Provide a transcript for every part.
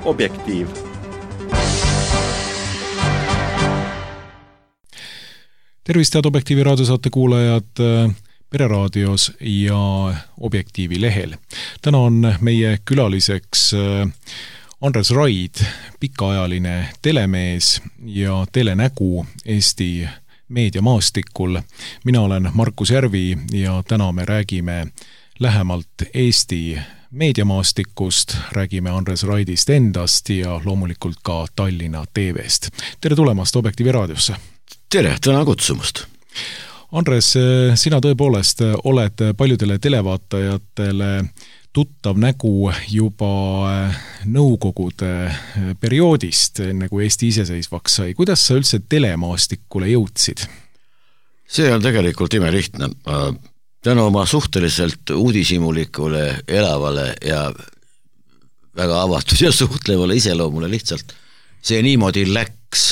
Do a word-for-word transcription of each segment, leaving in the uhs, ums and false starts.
Objektiiv. Tervist, head Objektiivi raadiosaate kuulajad Pereraadios ja Objektiivi lehel. Täna on meie külaliseks Andres Raid, pikaajaline telemees ja telenägu Eesti meediamaastikul. Mina olen Markus Järvi ja täna me räägime lähemalt Eesti meediamaastikust, räägime Andres Raidist endast ja loomulikult ka Tallinna T V-st. Tere tulemast Objektiivi raadiosse! Tere, täna kutsumast! Andres, sina tõepoolest oled paljudele televaatajatele tuttav nägu juba nõukogude perioodist, enne kui Eesti iseseisvaks sai. Kuidas sa üldse telemaastikule jõudsid? See on tegelikult imelihtne. Tänu oma suhteliselt uudishimulikule, elavale ja väga avatud ja suhtlevale iseloomule lihtsalt see niimoodi läks.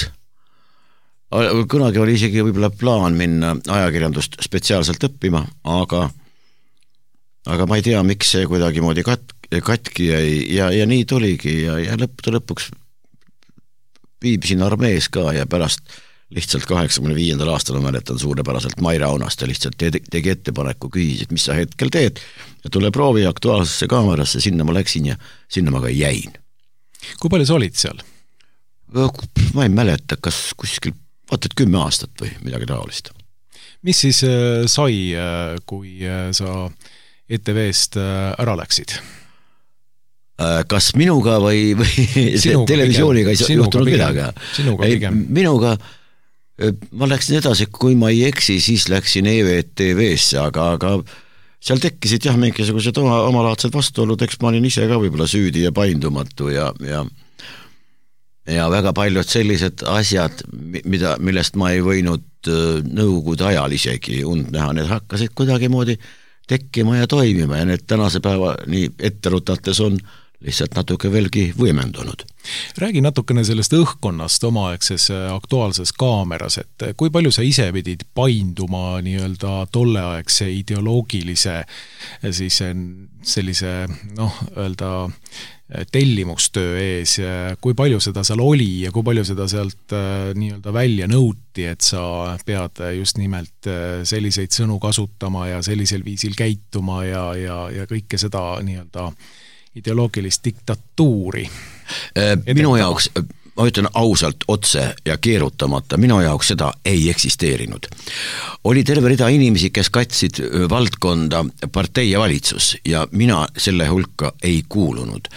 Kunagi oli isegi võib-olla plaan minna ajakirjandust spetsiaalselt õppima, aga, aga ma ei tea, miks see kuidagi moodi kat, katki jäi ja, ja nii tuligi ja, ja lõppude lõpuks viibisin armees ka ja pärast lihtsalt kaheksakümne viiendal aastal ma mäletan suurepäraselt Maire Aunast ja lihtsalt tegi ettepaneku, küsis, et mis sa hetkel teed ja tule proovi Aktuaalsesse kaamerasse, sinna ma läksin ja sinna ma ka jäin. Kui palju sa olid seal? Ma ei mäleta, kas kuskil vaatad kümme aastat või midagi taolist. Mis siis sai, kui sa E T V-st ära läksid? Kas minuga või, või sinuga televisiooniga ei juhtunud midagi? Sinuga pigem. Minuga ma läksin edasi, kui ma ei eksi, siis läksin E V T V-sse, aga, aga seal tekkisid jah mingisugused oma, omalaadsed vastuolud, eks ma olin ise ka võib-olla süüdi ja paindumatu ja, ja ja väga paljud sellised asjad, mida, millest ma ei võinud nõukogude ajal isegi und näha, need hakkasid kuidagi moodi tekkima ja toimima ja need tänase päeva nii etterutates on lihtsalt natuke veelgi võimendunud. Räägi natukene sellest õhkkonnast omaaegses Aktuaalses kaameras, et kui palju sa ise pidid painduma nii-öelda tolleaegse ideoloogilise siis sellise, noh, öelda tellimustöö ees, kui palju seda seal oli ja kui palju seda sealt nii-öelda välja nõuti, et sa pead just nimelt selliseid sõnu kasutama ja sellisel viisil käituma ja, ja, ja kõike seda nii-öelda ideoloogilist diktatuuri. Minu jaoks, ma ütlen ausalt otse ja keerutamata, minu jaoks seda ei eksisteerinud. Oli terve rida inimesi, kes katsid valdkonda partei ja valitsus ja mina selle hulka ei kuulunud.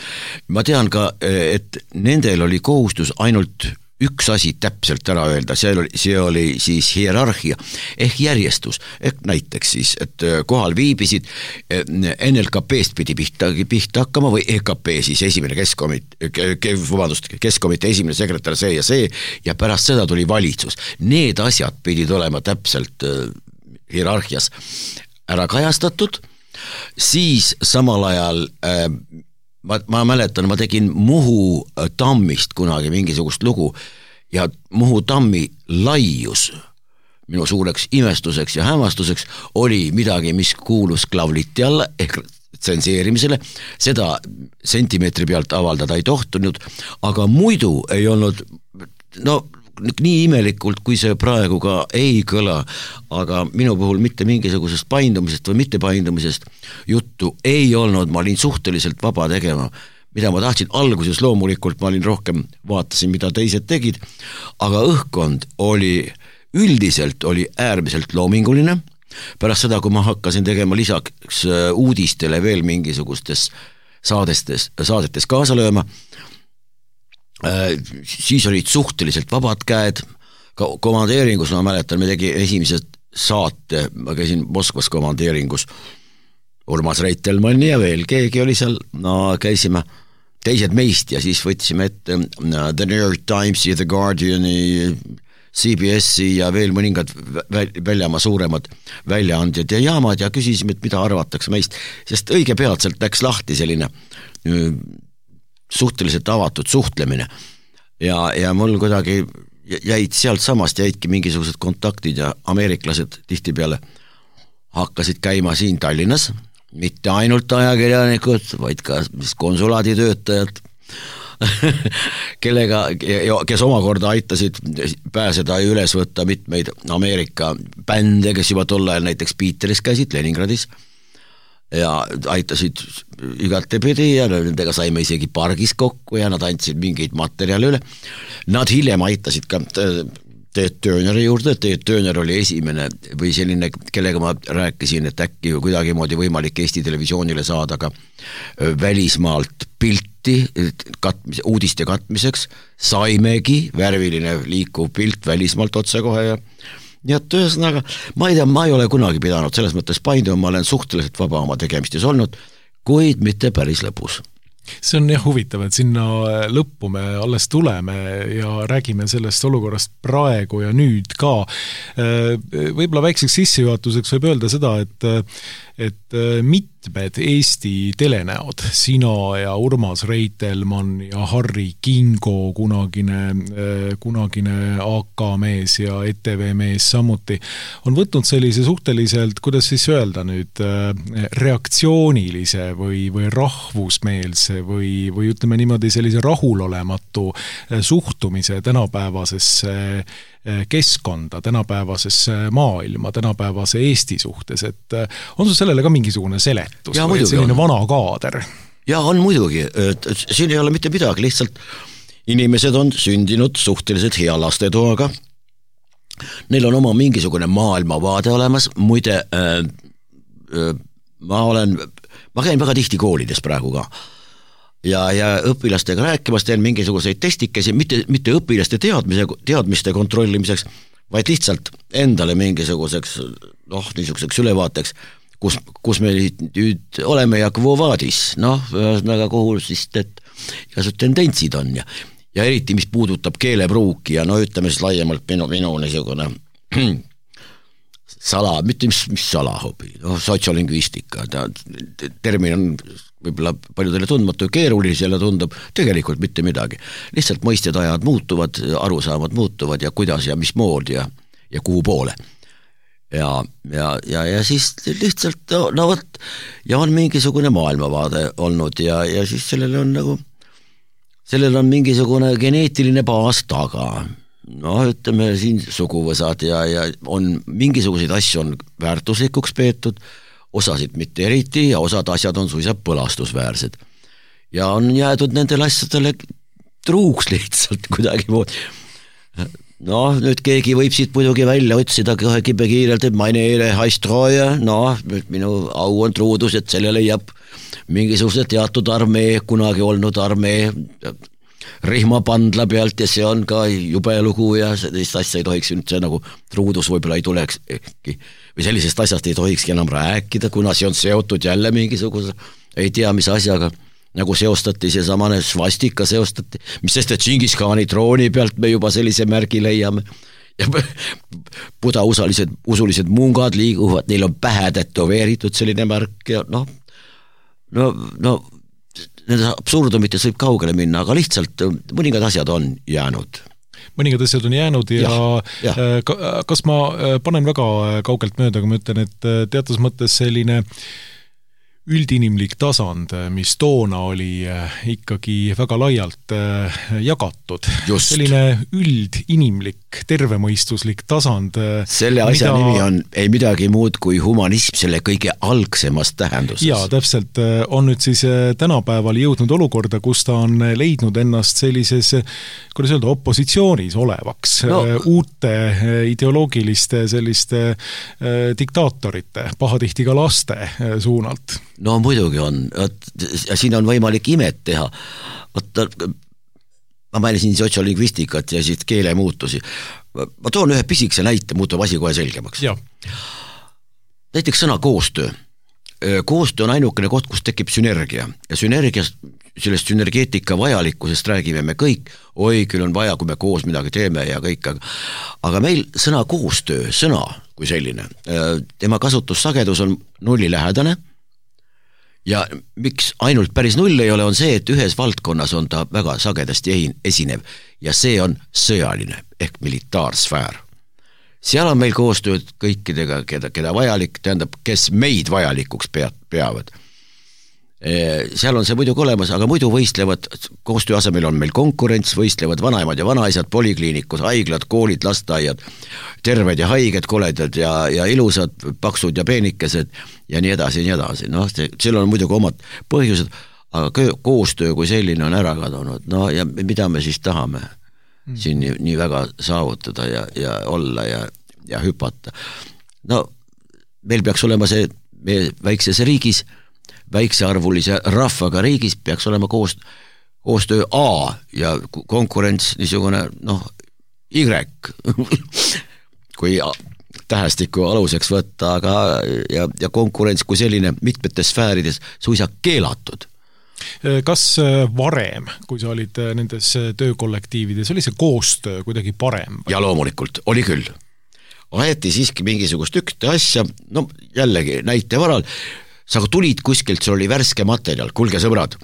Ma tean ka, et nendel oli kohustus ainult üks asi täpselt ära öelda, see oli, see oli siis hierarhia ehk järjestus, ehk näiteks siis, et kohal viibisid N L K P-st pidi pihta, pihta hakkama või E K P siis esimene keskomit, vabandust, keskomite esimene sekretär see ja see ja pärast seda tuli valitsus. Need asjad pidid olema täpselt hierarhias ära kajastatud, siis samal ajal äh, Ma, ma mäletan, ma tegin Muhu tammist kunagi mingisugust lugu ja Muhu tammi laius minu suureks imestuseks ja hämmastuseks oli midagi, mis kuulus klavliti alla ehk tsenseerimisele, seda sentimeetri pealt avaldada ei tohtunud, aga muidu ei olnud, no nii imelikult, kui see praegu ka ei kõla, aga minu puhul mitte mingisugusest paindumisest või mitte paindumisest juttu ei olnud, ma olin suhteliselt vaba tegema, mida ma tahtsin alguses loomulikult, ma olin rohkem, vaatasin, mida teised tegid, aga õhkkond oli, üldiselt oli äärmiselt loominguline, pärast seda, kui ma hakkasin tegema lisaks uudistele veel mingisugustes saadestes, saadetes kaasa lööma, siis olid suhteliselt vabad käed, ka komandeeringus ma mäletan, me tegi esimese saate, ma käisin Moskvas komandeeringus, Urmas Reitelmann ja veel keegi oli seal, no käisime teised meist ja siis võtsime ette The New York Timesi, The Guardiani, C B S-i ja veel mõningad väljamaa suuremad väljaandjad ja jaamad ja küsisime, et mida arvatakse meist, sest õige peatselt läks lahti selline suhteliselt avatud suhtlemine ja, ja mul kuidagi jäid sealt samast jäidki mingisugused kontaktid ja ameeriklased tihtipeale hakkasid käima siin Tallinnas, mitte ainult ajakirjanikud, vaid ka konsulaaditöötajad, kellega, kes omakorda aitasid pääseda ja üles võtta mitmeid Ameerika bände, kes juba tol ajal näiteks Peteris käisid, Leningradis, ja aitasid igatepidi ja nendega saime isegi pargis kokku ja nad andsid mingeid materjale üle. Nad hiljem aitasid ka Teet Tööneri juurde, Teet Tööner oli esimene või selline, kellega ma rääkisin, et äkki kuidagimoodi võimalik Eesti televisioonile saada ka välismaalt pilti katmis, uudiste katmiseks, saimegi värviline liikuv pilt välismaalt otsekohe ja nii et ühesõnaga, ma ei tea, ma ei ole kunagi pidanud selles mõttes painduma, ma olen suhteliselt vaba oma tegemistes olnud, kuid mitte päris lõpus. See on jah huvitav, et sinna lõppu me alles tuleme ja räägime sellest olukorrast praegu ja nüüd ka. Võib-olla väikseks sissejuhatuseks võib öelda seda, et, et mitmed Eesti telenäod, sina ja Urmas Reitelmann ja Harri Kingo, kunagine, kunagine A K mees ja E T V mees samuti, on võtnud sellise suhteliselt, kuidas siis öelda nüüd, reaktsioonilise või, või rahvusmeelse või, või ütleme niimoodi sellise rahulolematu suhtumise tänapäevasesse keskkonda, tänapäevasesse maailma, tänapäevase Eesti suhtes, et on sul sellele ka mingisugune seletus ja, või selline on. Vana kaader? Ja on muidugi, et siin ei ole mitte midagi, lihtsalt inimesed on sündinud suhteliselt hea lastetoaga, neil on oma mingisugune maailmavaade olemas, muide äh, äh, ma olen, ma käin väga tihti koolides praegu ka ja, ja õpilastega rääkimas teen mingisuguseid testikesi, mitte, mitte õpilaste teadmise, teadmiste kontrollimiseks, vaid lihtsalt endale mingisuguseks, noh, niisuguseks ülevaateks, kus, kus me nüüd oleme ja kvovaadis, noh, väga kuhu siis et igasugused tendentsid on ja, ja eriti, mis puudutab keelepruuki ja no ütleme siis laiemalt minu, minu niisugune sala, mitte mis, mis salahobi, no, sotsiolingvistika, ta, termin on võib-olla paljudele tundmatu ja keerulisele tundub, tegelikult mitte midagi. Lihtsalt mõisted ajad muutuvad, arusaamad muutuvad ja kuidas ja mis mood ja, ja kuhu poole. Ja, ja, ja, ja siis lihtsalt, no, no võt, ja on mingisugune maailmavaade olnud ja, ja siis sellele on nagu, sellele on mingisugune geneetiline baas taga. No ütleme siin suguvõsad ja, ja on mingisuguseid asju on väärtuslikuks peetud, osasid mitte eriti ja osad asjad on suisa põlastusväärsed. Ja on jäädud nendele asjadele truuks lihtsalt kuidagi muud. No nüüd keegi võib siit muidugi välja otsida kohe kibekiirelt, et meine Ehre heißt Treue, no minu au on truudus, et selle leiab mingisuguse teatud armee, kunagi olnud armee rihmapandla pealt ja see on ka jube lugu ja sellist asja ei tohiks üldse nagu truudus võib-olla ei tuleks või sellisest asjast ei tohikski enam rääkida, kuna see on seotud jälle mingisuguse, ei tea mis asjaga, nagu seostati see samane svastika seostati, mis sest, et Džingiskhaani trooni pealt me juba sellise märgi leiame ja buda usalised, usulised mungad liiguvad, neil on pähe tätoveeritud selline märk ja noh, no, no nende absurdumites võib kaugele minna, aga lihtsalt mõningad asjad on jäänud. Mõningad asjad on jäänud ja, ja, ja. kas ma panen väga kaugelt mööda, kui ma ütlen, et teatas mõttes selline üldinimlik tasand, mis toona oli ikkagi väga laialt jagatud. Just. Selline üldinimlik, tervemõistuslik tasand. Selle asja mida... nimi on ei midagi muud kui humanism selle kõige algsemast tähenduses. Jaa, täpselt on nüüd siis tänapäeval jõudnud olukorda, kus ta on leidnud ennast sellises, kuidas öelda, opositsioonis olevaks no. uute ideoloogiliste selliste diktaatorite, pahatihti ka laste suunalt. No muidugi on, ja siin on võimalik imet teha. Võtta, ma mainisin sotsiolingvistikat ja siis keele muutusi. Ma toon ühe pisikese näite, muutub asi kohe selgemaks. Ja. Näiteks sõna koostöö. Koostöö on ainukene koht, kus tekib sünergia. Ja sünergiast, sellest sünergeetika vajalikkusest räägime me kõik. Oi, küll on vaja, kui me koos midagi teeme ja kõik. Aga meil sõna koostöö, sõna kui selline, tema kasutussagedus on nulli lähedane. Ja miks ainult päris null ei ole, on see, et ühes valdkonnas on ta väga sagedasti esinev ja see on sõjaline ehk militaarsfäär. Seal on meil koostööd kõikidega, keda, keda vajalik, tähendab, kes meid vajalikuks peavad. seal on see muidugi olemas, aga muidu võistlevad, koostöö asemel on meil konkurents, võistlevad vanaemad ja vanaisad, polikliinikud, haiglad, koolid, lasteaiad, terved ja haiged, koledad ja, ja ilusad, paksud ja peenikesed ja nii edasi ja nii edasi. Noh, seal on muidugi omad põhjused, aga koostöö kui selline on ära kadunud. No ja mida me siis tahame mm. siin nii, nii väga saavutada ja, ja olla ja, ja hüpata. No meil peaks olema see meie väikses riigis väiksearvulise rahvaga riigis peaks olema koos, koostöö A ja konkurents niisugune noh, Y kui tähestiku aluseks võtta, aga ja, ja konkurents kui selline mitmetes sfäärides suisa keelatud. Kas varem, kui sa olid nendes töökollektiivides, oli see koostöö kuidagi parem? Ja loomulikult, oli küll. Aeti siiski mingisugust ükte asja, no jällegi näite varal, sa tulid kuskilt, sul oli värske materjal, kulge sõbrad,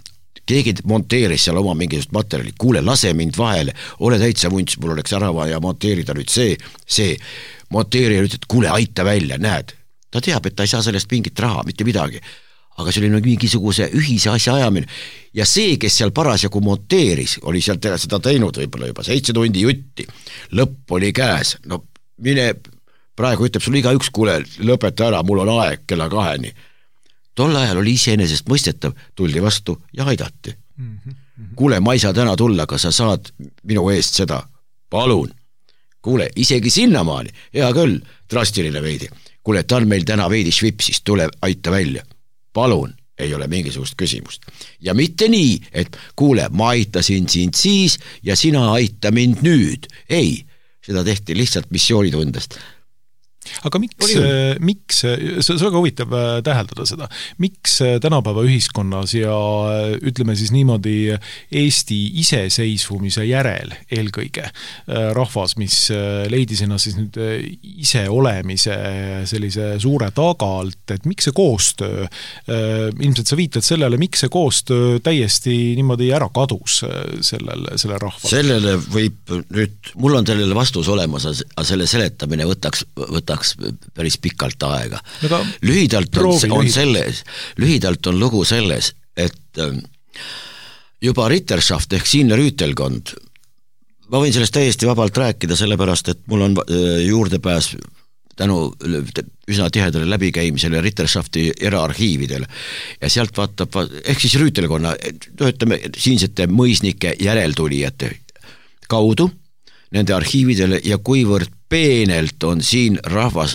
keegi monteeris seal oma mingisugust materjali, kuule, lase mind vahele, ole täitsa vunts, mul oleks ära vaja monteerida nüüd see, see, monteerija ütled, kuule, aita välja, näed. Ta teab, et ta ei saa sellest mingit raha, mitte midagi, aga see oli mingisuguse ühise asja ajamine ja see, kes seal parasjagu monteeris, oli seal seda teinud võib-olla juba seitse tundi jutti, lõpp oli käes, no mine, praegu ütleb sul iga üks, kuule, lõpeta ära, mul on aeg kella kaheni. Tol ajal oli iseenesest mõistetav, tuldi vastu ja aidati. Mm-hmm. Kuule, ma ei saa täna tulla, aga sa saad minu eest seda. Palun. Kuule, isegi sinnamaani. Hea küll, drastiline veidi. Kuule, ta on meil täna veidi švipsis, tule aita välja. Palun, ei ole mingisugust küsimust. Ja mitte nii, et kuule, ma aitasin sind siis ja sina aita mind nüüd. Ei, seda tehti lihtsalt missioonitundest. Aga miks, miks, see on väga huvitav täheldada seda, miks tänapäeva ühiskonnas ja ütleme siis niimoodi Eesti iseseisvumise järel eelkõige rahvas, mis leidis ennast siis nüüd ise olemise sellise suure tagalt, et miks see koostöö, ilmselt sa viitad sellele, miks see koostöö täiesti niimoodi ära kadus sellel, selle rahval? Sellele võib nüüd, mul on sellele vastus olemas, aga selle seletamine võtaks, võtaks päris pikalt aega. Aga lühidalt on, on selles, lühidalt on lugu selles, et juba Ritterschaft ehk siinne rüütelkond, ma võin sellest täiesti vabalt rääkida, sellepärast, et mul on juurdepääs tänu üsna tihedale läbikäimisele Ritterschafti eraarhiividele ja sealt vaatab, ehk siis rüütelkonna, ütleme, siinsete mõisnike järeltulijate kaudu nende arhiividele ja kuivõrd peenelt on siin rahvas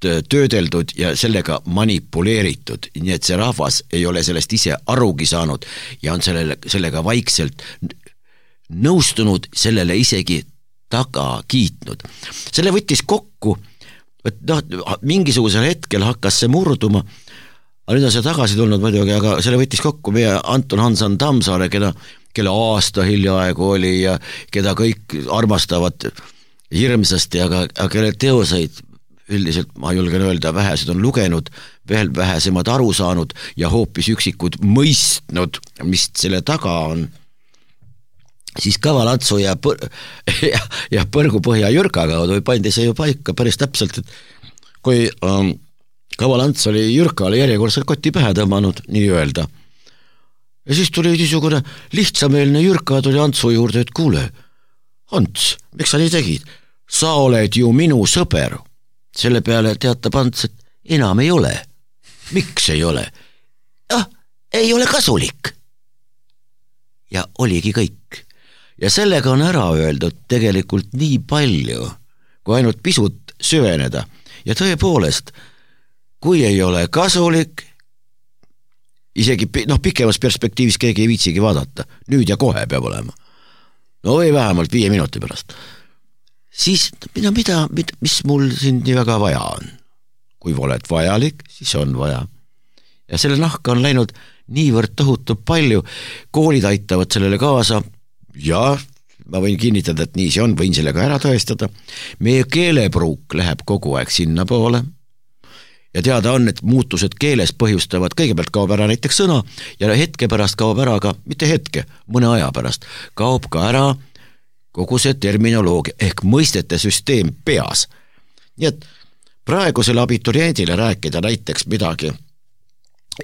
töödeldud ja sellega manipuleeritud, nii et see rahvas ei ole sellest ise arugi saanud ja on sellele, sellega vaikselt nõustunud, sellele isegi taga kiitnud. Selle võttis kokku, et noh, mingisugusel hetkel hakkas see murduma, aga nüüd on see tagasi tulnud muidugi, aga selle võttis kokku meie Anton Hansan Tammsaare, keda, kelle aasta hiljaaegu oli ja keda kõik armastavad hirmsasti, aga, aga kelle teoseid üldiselt, ma julgen öelda, vähesed on lugenud, veel vähesemad aru saanud ja hoopis üksikud mõistnud, mis selle taga on, siis Kavalantsu ja, põr ja, ja Põrgupõhja Jürka kaudu pandi see ju paika päris täpselt, et kui um, Kavalants oli Jürkale järjekordselt kotti pähe tõmmanud, nii öelda, ja siis tuli niisugune lihtsameelne Jürka tuli Antsu juurde, et kuule, Ants, miks sa nii tegid? Sa oled ju minu sõber. Selle peale teatab Ants, et enam ei ole. Miks ei ole? Ah, ei ole kasulik. Ja oligi kõik. Ja sellega on ära öeldud tegelikult nii palju, kui ainult pisut süveneda. Ja tõepoolest, kui ei ole kasulik, isegi noh, pikemas perspektiivis keegi ei viitsigi vaadata. Nüüd ja kohe peab olema. No või vähemalt viie minuti pärast. Siis mida, mida, mis mul siin nii väga vaja on? Kui oled vajalik, siis on vaja. Ja selle nahka on läinud niivõrd tohutu palju, koolid aitavad sellele kaasa ja ma võin kinnitada, et nii see on, võin sellega ära tõestada. Meie keelepruuk läheb kogu aeg sinna poole ja teada on, et muutused keeles põhjustavad, kõigepealt kaob ära näiteks sõna ja hetke pärast kaob ära ka, mitte hetke, mõne aja pärast, kaob ka ära kogu see terminoloogia ehk mõistete süsteem peas. Nii et praegusele abituriendile rääkida näiteks midagi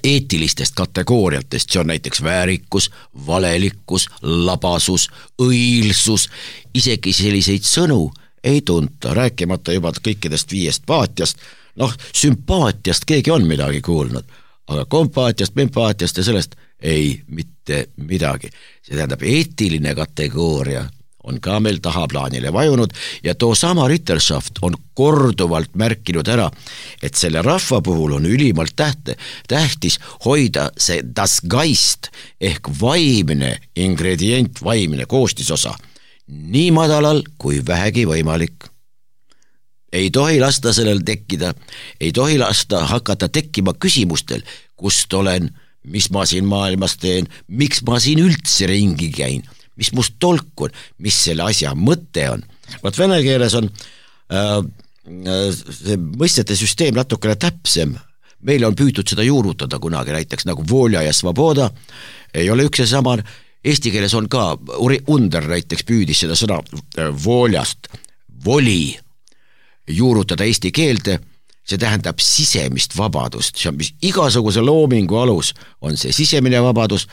eetilistest kategooriatest, see on näiteks väärikus, valelikkus, labasus, õilsus, isegi selliseid sõnu ei tunta, rääkimata juba kõikidest viiest paatiast, noh, sümpaatiast keegi on midagi kuulnud, aga kompaatiast, mempaatiast ja sellest ei mitte midagi. See tähendab, eetiline kategooria on ka meil tahaplaanile vajunud ja too sama Ritterschaft on korduvalt märkinud ära, et selle rahva puhul on ülimalt tähte, tähtis hoida see das Geist ehk vaimne ingredient, vaimne koostisosa nii madalal kui vähegi võimalik. Ei tohi lasta sellel tekkida, ei tohi lasta hakata tekkima küsimustel, kust olen, mis ma siin maailmas teen, miks ma siin üldse ringi käin, mis must tolk on, mis selle asja mõte on. Vaat vene keeles on äh, see mõistete süsteem natukene täpsem. Meil on püütud seda juurutada kunagi, näiteks nagu volja ja svoboda, ei ole üks ja sama. Eesti keeles on ka, Under näiteks püüdis seda sõna voljast, voli juurutada eesti keelde, see tähendab sisemist vabadust, see on mis igasuguse loomingu alus, on see sisemine vabadus.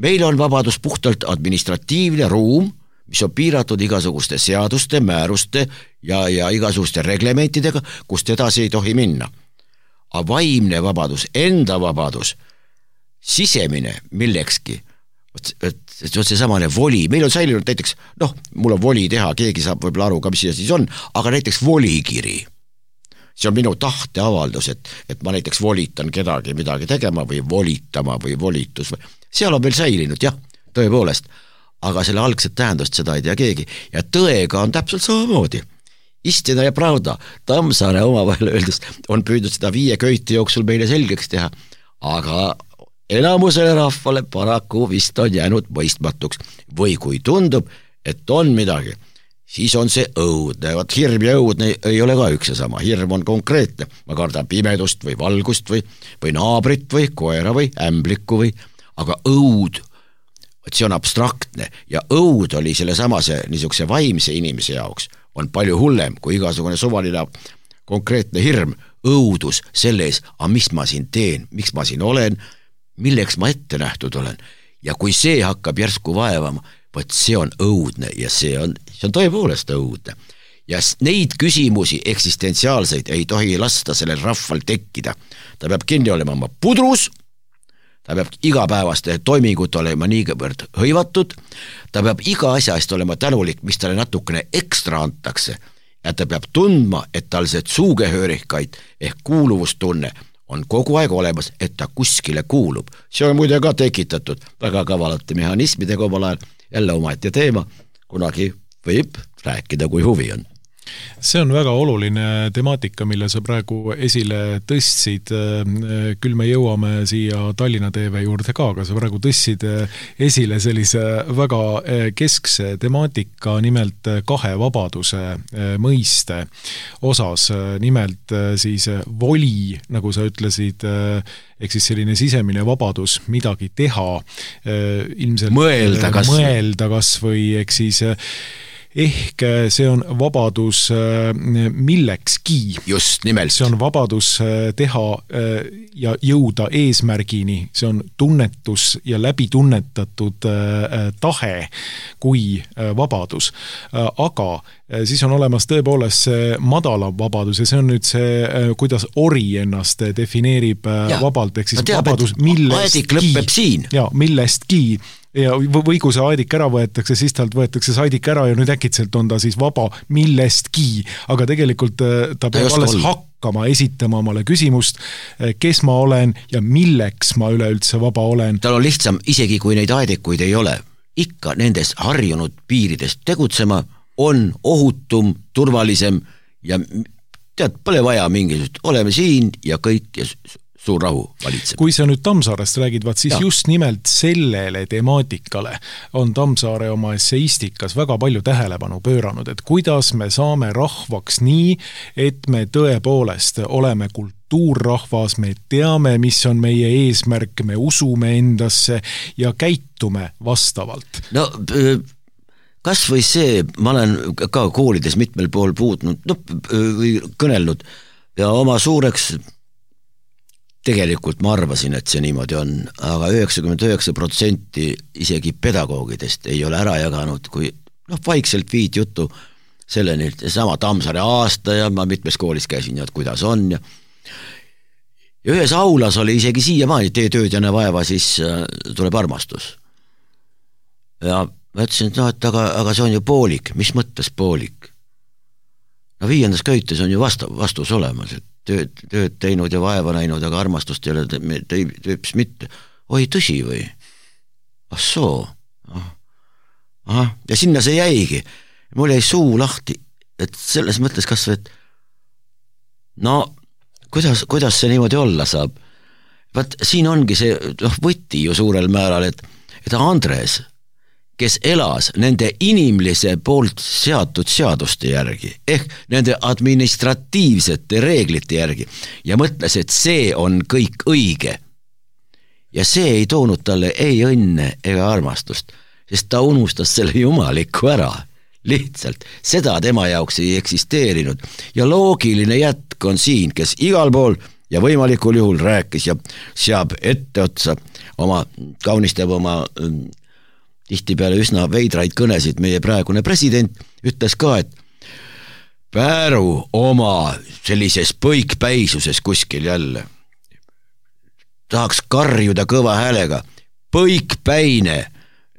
Meil on vabadus puhtalt administratiivne ruum, mis on piiratud igasuguste seaduste, määruste ja, ja igasuguste reglementidega, kust edasi ei tohi minna. Aga vaimne vabadus, enda vabadus, sisemine millekski, see on see samane voli, meil on säilinud näiteks, noh, mul on voli teha, keegi saab võib-olla aru ka, mis see siis on, aga näiteks volikiri. See on minu tahteavaldus, et, et ma näiteks volitan kedagi midagi tegema või volitama või volitus. Seal on veel säilinud, jah, tõepoolest, aga selle algset tähendust seda ei tea keegi ja tõega on täpselt samamoodi. Istina ja pravda, Tammsaare omavahel öeldes on püüdnud seda viie köiti jooksul meile selgeks teha, aga enamusele rahvale paraku vist on jäänud mõistmatuks või kui tundub, et on midagi, siis on see õudne. Vaat hirm ja õudne ei ole ka üks ja sama. Hirm on konkreetne. Ma kardan pimedust või valgust või, või naabrit või koera või ämblikku või, aga õud, see on abstraktne ja õud oli selle samase niisuguse vaimse inimese jaoks on palju hullem kui igasugune suvaline konkreetne hirm, õudus selle ees, aga mis ma siin teen, miks ma siin olen, milleks ma ette nähtud olen ja kui see hakkab järsku vaevama, võt see on õudne ja see on, see on tõepoolest õudne. Ja neid küsimusi eksistentsiaalseid ei tohi lasta sellel rahval tekkida. Ta peab kinni olema oma pudrus, ta peab igapäevaste toimingut olema niivõrd hõivatud, ta peab iga asja eest olema tänulik, mis talle natukene ekstra antakse ja ta peab tundma, et tal see zugehörigkeit ehk kuuluvustunne on kogu aeg olemas, et ta kuskile kuulub. See on muide ka tekitatud väga kavalate mehhanismidega omal ajal, jälle omaette teema, kunagi võib rääkida, kui huvi on. See on väga oluline temaatika, mille sa praegu esile tõstsid. Küll me jõuame siia Tallinna T V juurde ka, aga sa praegu tõstsid esile sellise väga keskse temaatika, nimelt kahe vabaduse mõiste osas. Nimelt siis voli, nagu sa ütlesid, ehk siis selline sisemine vabadus midagi teha, ilmselt mõelda kas, mõelda kas või ehk siis ehk see on vabadus millekski. Just nimelt. See on vabadus teha ja jõuda eesmärgini. See on tunnetus ja läbitunnetatud tahe kui vabadus. Aga siis on olemas tõepoolest see madalam vabadus ja see on nüüd see, kuidas ori ennast defineerib ja, vabalt, ehk siis teab, vabadus millestki. Ja, millestki. Ja, või kui see aidik ära võetakse, siis talt võetakse see aidik ära ja nüüd äkitselt on ta siis vaba millestki, aga tegelikult ta peab ta alles hakkama esitama omale küsimust, kes ma olen ja milleks ma üleüldse vaba olen. Tal on lihtsam, isegi kui neid aidikuid ei ole, ikka nendes harjunud piiridest tegutsema on ohutum, turvalisem ja tead, pole vaja mingisugust, oleme siin ja kõik ja suur rahu valitseb. Kui sa nüüd Tammsaarest räägid, vaat siis ja. Just nimelt sellele temaatikale on Tammsaare oma esseistikas väga palju tähelepanu pööranud, et kuidas me saame rahvaks nii, et me tõepoolest oleme kultuurrahvas, me teame, mis on meie eesmärk, me usume endasse ja käitume vastavalt. No kas või see, ma olen ka koolides mitmel pool puutnud, no, või kõnelnud ja oma suureks tegelikult ma arvasin, et see niimoodi on, aga üheksakümmend üheksa protsenti isegi pedagoogidest ei ole ära jaganud, kui noh, vaikselt viid juttu selleni, sama Tammsaare aasta ja ma mitmes koolis käisin ja kuidas on ja ja ühes aulas oli isegi siiamaani, tee tööd ja näe vaeva, siis tuleb armastus. Ja ma ütlesin, et, no, et aga, aga see on ju poolik, mis mõttes poolik? No viiendas köites on ju vastu, vastus olemas, et tööd, tööd teinud ja vaeva näinud, aga armastust ei ole tüüps mitte. Oi, tõsi või? Ah soo. Aha. Ja sinna see jäigi. Mul jäi suu lahti, et selles mõttes kas või, et no kuidas, kuidas see niimoodi olla saab? Vaat siin ongi see noh, võti ju suurel määral, et, et Andres, kes elas nende inimlise poolt seatud seaduste järgi, ehk nende administratiivsete reeglite järgi ja mõtles, et see on kõik õige. Ja see ei toonud talle ei õnne ega armastust, sest ta unustas selle jumaliku ära. Lihtsalt seda tema jaoks ei eksisteerinud ja loogiline jätk on siin, kes igal pool ja võimalikul juhul rääkis ja seab etteotsa oma, kaunistab oma tihtipeale üsna veidraid kõnesid. Meie praegune president ütles ka, et Pääru oma sellises põikpäisuses kuskil jälle tahaks karjuda kõva häälega põikpäine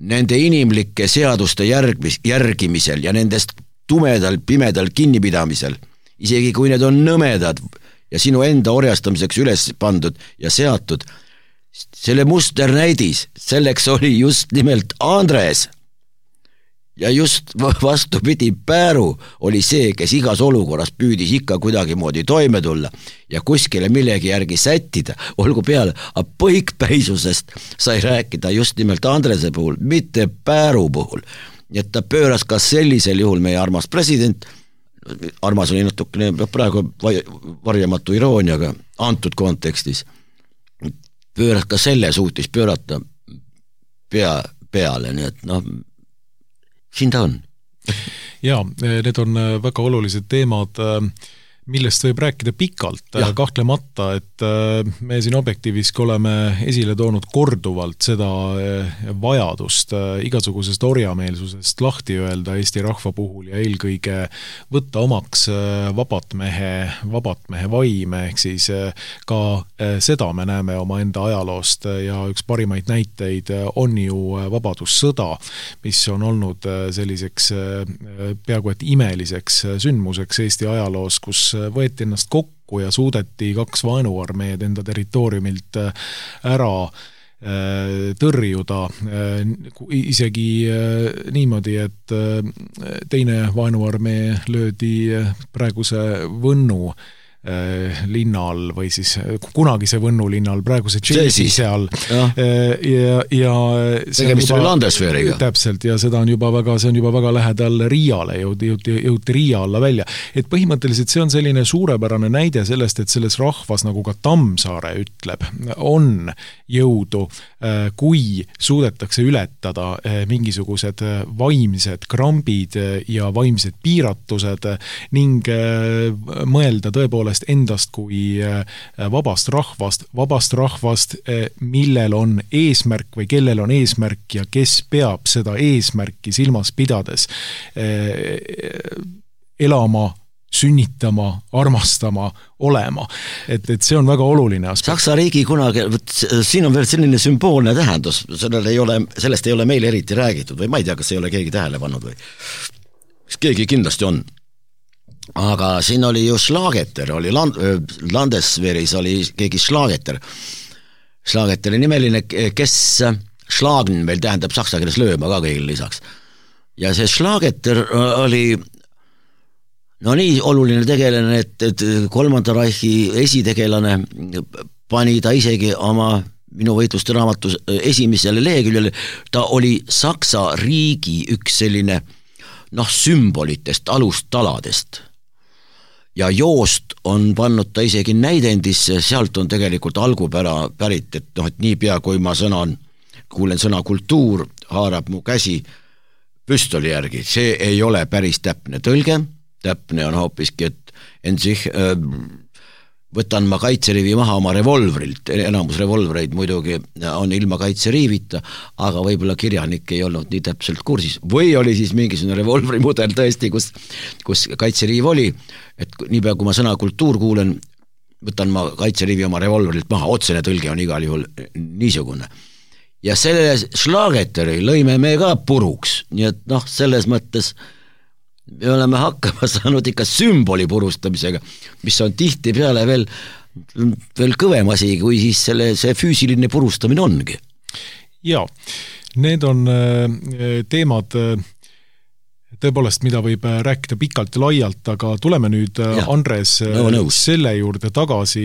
nende inimlike seaduste järgmis, järgimisel ja nendest tumedal, pimedal kinnipidamisel, isegi kui need on nõmedad ja sinu enda orjastamiseks üles pandud ja seatud, selle musternäidis, selleks oli just nimelt Andres. Ja just vastupidi, Pääru oli see, kes igas olukorras püüdis ikka kuidagi moodi toime tulla ja kuskile millegi järgi sättida, olgu peale, aga põikpäisusest sai rääkida just nimelt Andrese puhul, mitte Pääru puhul. Nii et ta pööras ka sellisel juhul meie armas president, armas oli natukene praegu varjamatu irooniaga antud kontekstis, pööras ka selle suutis pöörata pea peale, nii et noh, siin ta on. Jaa, need on väga olulised teemad, millest võib rääkida pikalt, ja. Kahtlemata, et me siin Objektiivis oleme esile toonud korduvalt seda vajadust igasugusest orjameelsusest lahti öelda Eesti rahva puhul ja eelkõige võtta omaks vabatmehe, vabatmehe vaime, ehk siis ka seda me näeme oma enda ajaloost ja üks parimaid näiteid on ju vabadussõda, mis on olnud selliseks peaaegu et imeliseks sündmuseks Eesti ajaloos, kus võeti ennast kokku ja suudeti kaks vaenuarmeed enda territooriumilt ära tõrjuda isegi niimoodi, et teine vaenuarmee löödi praeguse Võnnu linnal või siis kunagise Võnnu linnal, praeguse Tšeisi seal ja, ja, ja tegemist oli Landesveeriga. Täpselt, ja seda on juba väga, see on juba väga lähedal Riiale, jõuti, jõuti, jõuti Riia alla välja. Et põhimõtteliselt see on selline suurepärane näide sellest, et selles rahvas, nagu ka Tammsaare ütleb, on jõudu, kui suudetakse ületada mingisugused vaimsed krambid ja vaimsed piiratused ning mõelda tõepoolest endast kui vabast rahvast, vabast rahvast, millel on eesmärk või kellel on eesmärk ja kes peab seda eesmärki silmas pidades elama, sünnitama, armastama, olema. Et, et see on väga oluline aspekt. Saksa riigi kunagi, siin on veel selline sümboolne tähendus, ei ole, sellest ei ole meile eriti räägitud või ma ei tea, kas ei ole keegi tähele pannud või keegi kindlasti on. Aga siin oli ju Schlageter, oli Land, Landesveeris oli keegi Schlageter. Schlageteri nimeline, kes Schlagen meil tähendab saksa keeles lööma ka kõigil lisaks. Ja see Schlageter oli no nii oluline tegelane, et, et kolmanda Reichi esitegelane pani ta isegi oma minu võitluste raamatus esimesele leheküljele, ta oli Saksa riigi üks selline noh, sümbolitest, alustaladest. Ja joost on pannud ta isegi näidendisse, sealt on tegelikult algupära pärit, et noh, et nii pea kui ma sõnan, kuulen sõna kultuur, haarab mu käsi püstoli järgi. See ei ole päris täpne tõlge, täpne on hoopiski, et en sich äh, võtan ma kaitseriivi maha oma revolvrilt, enamus revolvreid muidugi on ilma kaitseriivita, aga võib-olla kirjanik ei olnud nii täpselt kursis. Või oli siis mingisugune revolvrimudel tõesti, kus, kus kaitseriiv oli, et niipea kui ma sõna kultuur kuulen, võtan ma kaitseriivi oma revolvrilt maha, otsene tõlge on igal juhul niisugune. Ja selle Schlageteri lõime me ka puruks, nii et noh, selles mõttes me oleme hakkama saanud ikka sümboli purustamisega, mis on tihti peale veel, veel kõvem asi, kui siis selle, see füüsiline purustamine ongi. Jaa, need on teemad tõepoolest, mida võib rääkida pikalt ja laialt, aga tuleme nüüd, ja. Andres, no, selle juurde tagasi,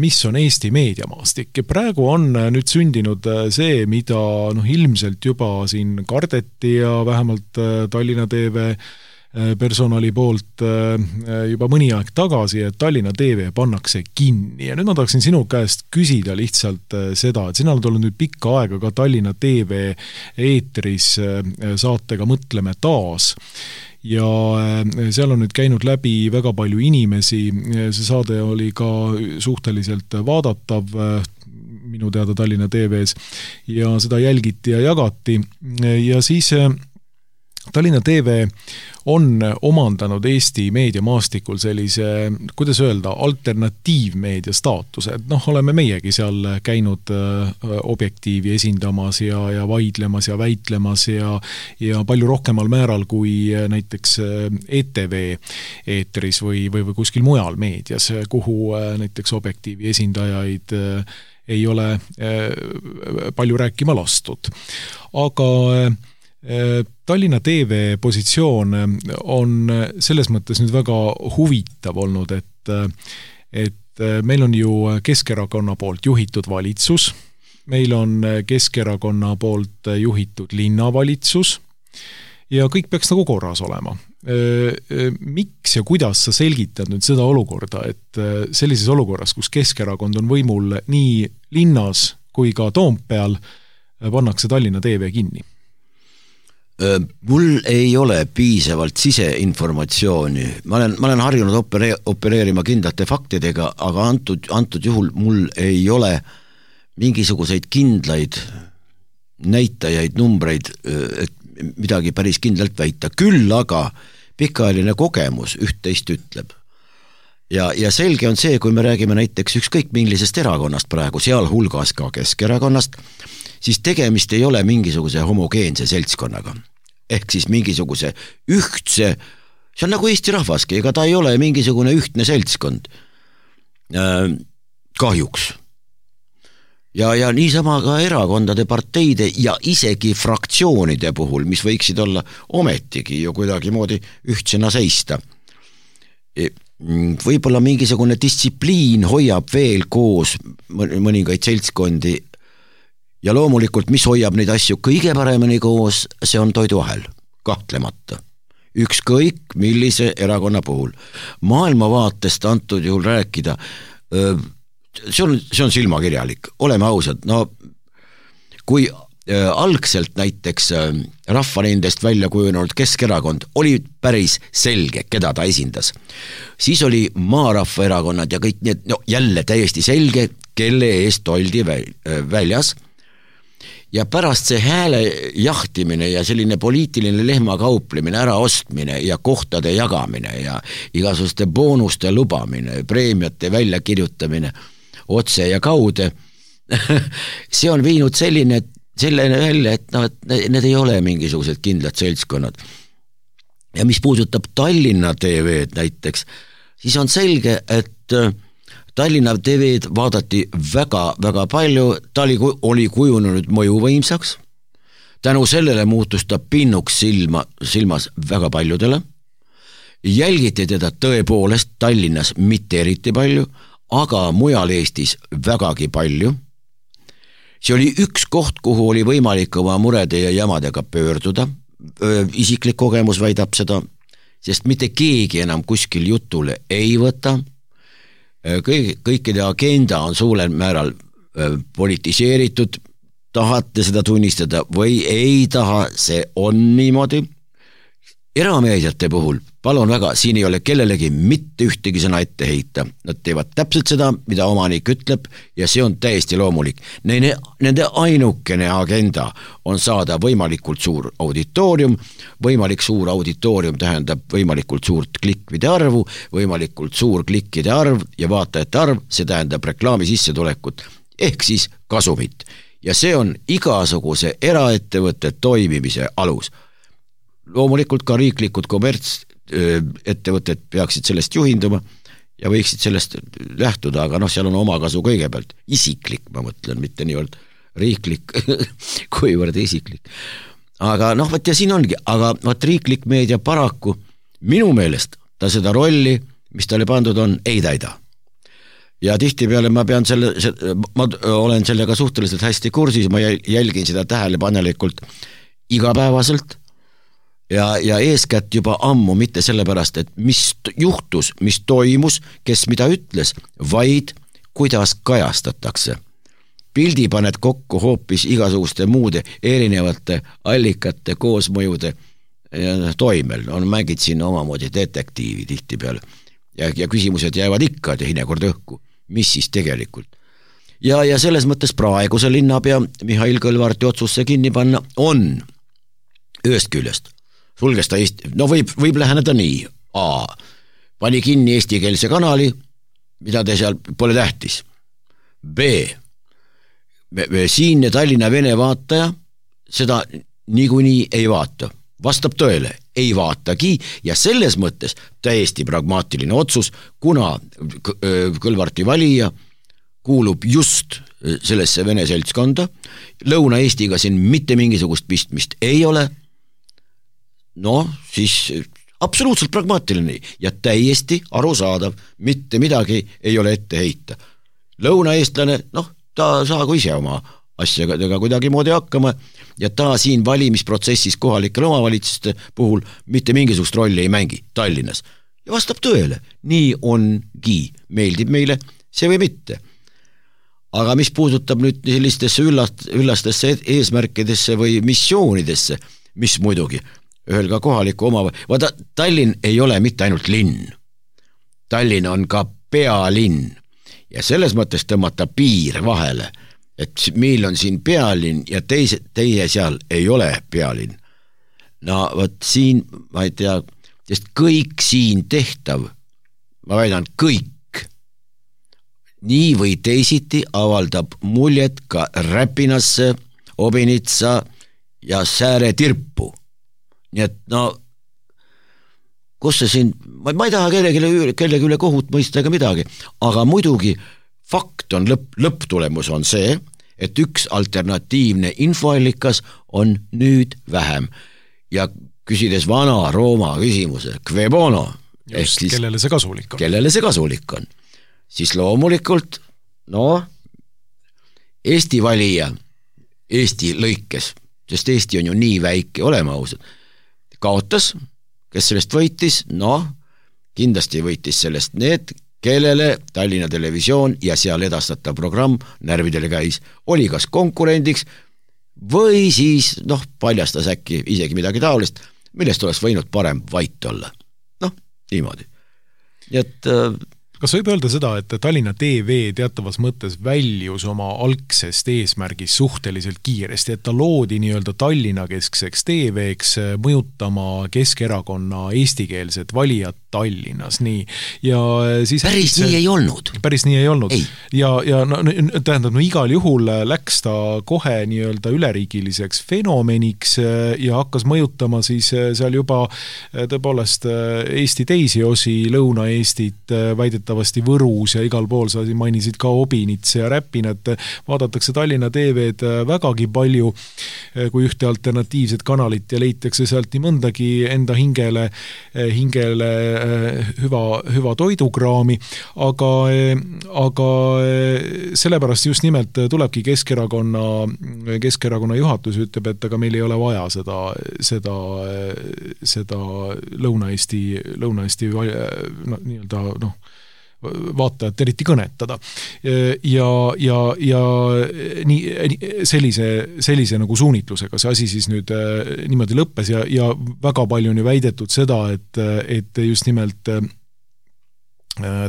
mis on Eesti meediamaastik. Praegu on nüüd sündinud see, mida noh, ilmselt juba siin kardeti ja vähemalt Tallinna T V personali poolt juba mõni aeg tagasi, et Tallinna T V pannakse kinni. Ja nüüd ma tahaksin sinu käest küsida lihtsalt seda, et sina oled olnud nüüd pikka aega ka Tallinna T V eetris saatega Mõtleme taas. Ja seal on nüüd käinud läbi väga palju inimesi. See saade oli ka suhteliselt vaadatav minu teada Tallinna T V-s ja seda jälgiti ja jagati. Ja siis Tallinna T V on omandanud Eesti meediamaastikul sellise, kuidas öelda, alternatiivmeedia staatuse. Et noh, oleme meiegi seal käinud objektiivi esindamas ja, ja vaidlemas ja väitlemas ja, ja palju rohkemal määral kui näiteks E T V eetris või, või, või kuskil mujal meedias, kuhu näiteks objektiivi esindajaid ei ole palju rääkima lastud. Aga Tallinna T V positsioon on selles mõttes nüüd väga huvitav olnud, et, et meil on ju Keskerakonna poolt juhitud valitsus, meil on Keskerakonna poolt juhitud linnavalitsus ja kõik peaks nagu korras olema. Miks ja kuidas sa selgitad nüüd seda olukorda, et sellises olukorras, kus Keskerakond on võimul nii linnas kui ka Toompeal, pannakse Tallinna T V kinni? Mul ei ole piisavalt siseinformatsiooni. Ma olen, ma olen harjunud opere, opereerima kindlate faktidega, aga antud, antud juhul mul ei ole mingisuguseid kindlaid näitajaid, numbreid, et midagi päris kindlalt väita. Küll aga pikaajaline kogemus üht-teist ütleb. Ja, ja selge on see, kui me räägime näiteks ükskõik millisest erakonnast praegu, seal hulgas ka Keskerakonnast, siis tegemist ei ole mingisuguse homogeense seltskonnaga. Ehk siis mingisuguse ühtse, see on nagu Eesti rahvaski, ega ta ei ole mingisugune ühtne seltskond. Äh, kahjuks. Ja, ja niisama ka erakondade, parteide ja isegi fraktsioonide puhul, mis võiksid olla ometigi ju kuidagi moodi ühtsena seista. Võib-olla mingisugune distsipliin hoiab veel koos mõningaid seltskondi. Ja loomulikult, mis hoiab neid asju kõige paremini koos, see on toiduahel, kahtlemata. Ükskõik millise erakonna puhul. Maailmavaatest antud juhul rääkida, see on, see on silmakirjalik. Oleme ausad, no kui algselt näiteks rahvanendest välja kujunenud Keskerakond oli päris selge, keda ta esindas, siis oli Maarahva erakonnad ja kõik need, no jälle täiesti selge, kelle eest oldi väljas. Ja pärast see hääle jahtimine ja selline poliitiline lehmakauplemine, äraostmine ja kohtade jagamine ja igasuguste boonuste lubamine, preemiate väljakirjutamine otse ja kaude, see on viinud selline, selline välja, et, no, et need ei ole mingisugused kindlad seltskonnad. Ja mis puudutab Tallinna T V-d näiteks, siis on selge, et Tallinna T V-d vaadati väga, väga palju, ta oli, oli kujunenud mõjuvõimsaks, tänu sellele muutus ta pinnuks silma, silmas väga paljudele, jälgiti teda tõepoolest Tallinnas mitte eriti palju, aga mujal Eestis vägagi palju. See oli üks koht, kuhu oli võimalik oma murede ja jamadega pöörduda, isiklik kogemus väidab seda, sest mitte keegi enam kuskil jutule ei võta, Kõik, kõikide agenda on suurel määral politiseeritud, tahate seda tunnistada või ei taha, see on niimoodi. erameediate puhul, palun väga, siin ei ole kellelegi mitte ühtegi sõna ette heita. Nad teevad täpselt seda, mida omanik ütleb ja see on täiesti loomulik. Nende, nende ainukene agenda on saada võimalikult suur auditoorium, võimalik suur auditoorium tähendab võimalikult suurt klikkide arvu, võimalikult suur klikkide arv ja vaatajate arv, see tähendab reklaami sissetulekut ehk siis kasumit. Ja see on igasuguse eraettevõtte toimimise alus. Loomulikult ka riiklikud kommertsettevõtted peaksid sellest juhinduma ja võiksid sellest lähtuda, aga noh, seal on oma kasu kõigepealt. Isiklik, ma mõtlen, mitte niivõrd riiklik, kuivõrd isiklik. Aga noh, võt ja siin ongi, aga võt riiklik meedia paraku minu meelest ta seda rolli, mis talle pandud on, ei täida. Ja tihti peale ma pean selle, ma olen sellega suhteliselt hästi kursis, ma jälgin seda tähelepanelikult igapäevaselt, Ja, ja eeskätt juba ammu, mitte sellepärast, et mis juhtus, mis toimus, kes mida ütles, vaid kuidas kajastatakse. Pildi paned kokku hoopis igasuguste muude erinevate allikate koosmõjude toimel. On mängid siin omamoodi detektiivi tihti peale. Ja, ja küsimused jäävad ikka teinekord õhku. Mis siis tegelikult? Ja, ja selles mõttes praeguse linnapea Mihhail Kõlvarti otsusse kinni panna on ühest küljest. Sulges ta Eesti, no võib, võib läheneda nii. A. Pani kinni eestikeelse kanali, mida te seal pole tähtis. B. Siinne Tallinna vene vaataja seda niikuinii ei vaata. Vastab tõele, ei vaatagi ja selles mõttes täiesti pragmaatiline otsus, kuna Kõlvarti valija kuulub just sellesse vene seltskonda, Lõuna-Eestiga siin mitte mingisugust pistmist ei ole, no siis absoluutselt pragmaatiline ja täiesti arusaadav, mitte midagi ei ole ette heita. Lõunaeestlane, noh, ta saagu ise oma asjadega kuidagi moodi hakkama ja ta siin valimisprotsessis kohalikel omavalitsuste puhul mitte mingisugust rolli ei mängi Tallinnas. Ja vastab tõele, nii ongi, meeldib meile see või mitte. Aga mis puudutab nüüd sellistesse üllast, üllastesse eesmärkidesse või missioonidesse, mis muidugi ühel ka kohaliku oma, vaata Tallinn ei ole mitte ainult linn. Tallinn on ka pealinn ja selles mõttes tõmmata piir vahele, et meil on siin pealinn ja teise, teie seal ei ole pealinn. No võt siin, ma ei tea, sest kõik siin tehtav, ma väidan kõik, nii või teisiti avaldab muljet ka Räpinasse, Obinitsa ja Sääre tirpu. Nii et no, kus see siin, ma, ma ei taha kellegi, kellegi üle kohut mõista ega midagi, aga muidugi fakt on lõpp, lõpptulemus on see, et üks alternatiivne infoallikas on nüüd vähem. Ja küsides vana Rooma küsimuse, kve bono, just, siis, kellele see kasulik on? Kellele see kasulik on? Siis loomulikult, no, Eesti valija, Eesti lõikes, sest Eesti on ju nii väike, olema ausad, kaotas, kes sellest võitis, no, kindlasti võitis sellest need, kellele Tallinna Televisioon ja seal edastatav programm närvidele käis, oli kas konkurendiks või siis, noh, paljastas äkki isegi midagi taolist, millest oleks võinud parem vait olla. Noh, niimoodi. Nii et kas võib öelda seda, et Tallinna T V teatavas mõttes väljus oma algsest eesmärgis suhteliselt kiiresti, et ta loodi nii-öelda Tallinna keskseks T V-ks mõjutama Keskerakonna eestikeelset valijat Tallinnas, nii. Ja siis päris see, nii ei olnud. Päris nii ei olnud. Ei. Ja, ja no, tähendab, no igal juhul läks ta kohe nii-öelda üleriigiliseks fenomeniks ja hakkas mõjutama siis seal juba tõepoolest Eesti teisi osi, Lõuna-Eestit, väidetavasti Võrus ja igal pool sa mainisid ka Obinits ja Räpinat, vaadatakse Tallinna T V-d vägagi palju kui ühte alternatiivset kanalit ja leitakse sealt nii mõndagi enda hingele, hingele hüva, hüva toidukraami, aga, aga sellepärast just nimelt tulebki Keskerakonna, Keskerakonna juhatus ütleb, et aga meil ei ole vaja seda, seda, seda Lõuna-Eesti, Lõuna-Eesti no, nii-öelda, noh, vaatajat eriti kõnetada. Ja, ja, ja nii, sellise, sellise nagu suunitlusega see asi siis nüüd niimoodi lõppes ja, ja väga palju on ju väidetud seda, et, et just nimelt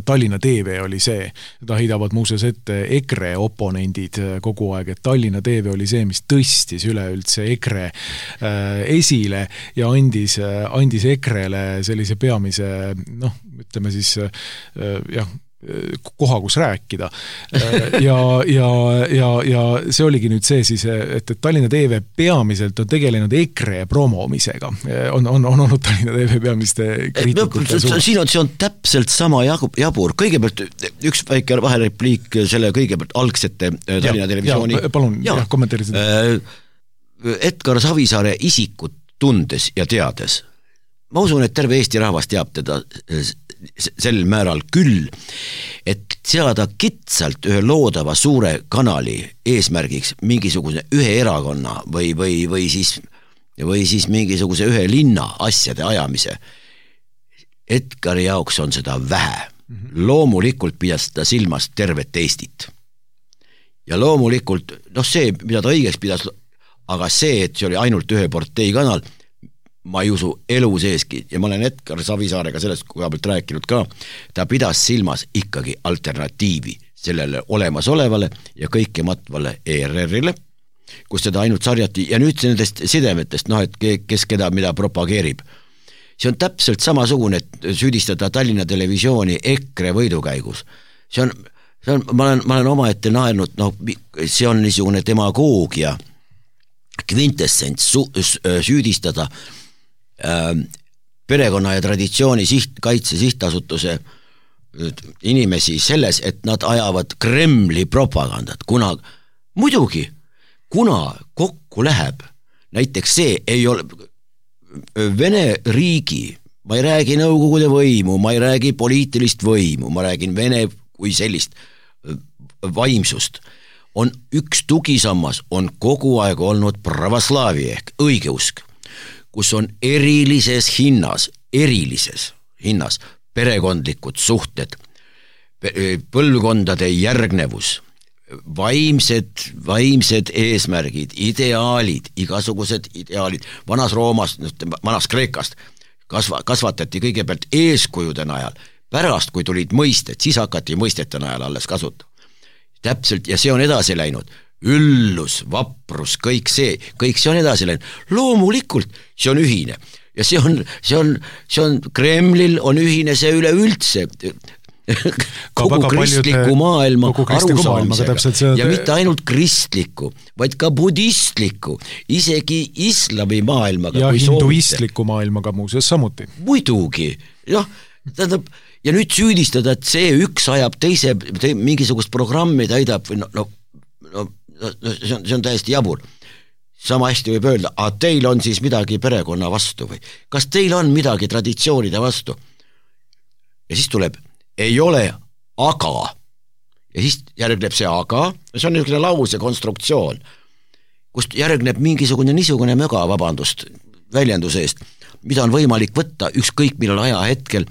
Tallinna T V oli see, ta heidavad muuseas ette EKRE oponendid kogu aeg, et Tallinna T V oli see, mis tõstis üleüldse EKRE esile ja andis, andis EKRele sellise peamise, noh, ütleme siis jah, koha, kus rääkida. Ja, ja, ja, ja see oligi nüüd see siis, et, et Tallinna T V peamiselt on tegelenud EKRE promomisega. On, on, on olnud Tallinna T V peamiste kriitikute suur. Siin on, see on täpselt sama jabur. Kõigepealt üks väike vaherepliik selle kõigepealt algsete Tallinna ja, televisiooni. Ja, palun, ja. jah, kommenteeri seda. Edgar Savisaare isikut tundes ja teades. Ma usun, et terve Eesti rahvas teab teda sel määral küll, et seada kitsalt ühe loodava suure kanali eesmärgiks mingisuguse ühe erakonna või, või, või, siis, või siis mingisuguse ühe linna asjade ajamise. Edgari jaoks on seda vähe. Loomulikult pidas ta silmas tervet Eestit. Ja loomulikult, noh see, mida ta õigeks pidas, aga see, et see oli ainult ühe partei kanal, ma ei usu elu seeski ja ma olen Edgar Savisaarega sellest koha pealt rääkinud ka, ta pidas silmas ikkagi alternatiivi sellele olemasolevale ja kõike matvale E R R-ile, kus seda ainult sarjati ja nüüd nendest sidemetest, noh et kes keda mida propageerib. See on täpselt samasugune, et süüdistada Tallinna Televisiooni EKRE võidukäigus. See on, see on ma, olen, ma olen oma ette naernud, noh, see on niisugune demagoogia kvintessents su, süüdistada perekonna ja traditsiooni siht, kaitse sihtasutuse inimesi selles, et nad ajavad Kremli propagandat, kuna muidugi, kuna kokku läheb, näiteks see ei ole Vene riigi, ma ei räägi nõukogude võimu, ma ei räägi poliitilist võimu, ma räägin Vene kui sellist vaimsust, on üks tugisammas, on kogu aeg olnud pravoslaavi ehk õigeusk, kus on erilises hinnas, erilises hinnas perekondlikud suhted, põlvkondade järgnevus, vaimsed, vaimsed eesmärgid, ideaalid, igasugused ideaalid, vanas Roomas, vanas Kreekast kasva, kasvatati kõigepealt eeskujude najal, pärast kui tulid mõisted, siis hakati mõistete najal alles kasuta. Täpselt, ja see on edasi läinud. Üllus, vaprus, kõik see, kõik see on edasi läinud. Loomulikult see on ühine. Ja see on, see on, see on Kremlil on ühine see üleüldse kogu kristliku maailma arusaamisega. See... Ja mitte ainult kristliku, vaid ka budistliku, isegi islami maailmaga. Ja hinduistliku maailmaga muuseas samuti. Muidugi, jah, tähendab, ja nüüd süüdistada, et see üks ajab teise, te, mingisugust programmi täidab, või no, no, no, no see, on, see on täiesti jabur. Sama hästi võib öelda, aga teil on siis midagi perekonna vastu või kas teil on midagi traditsioonide vastu? Ja siis tuleb, ei ole aga. Ja siis järgneb see aga, see on niisugune lause konstruktsioon, kust järgneb mingisugune niisugune möga, vabandust, väljenduse eest, mida on võimalik võtta ükskõik millal aja hetkel,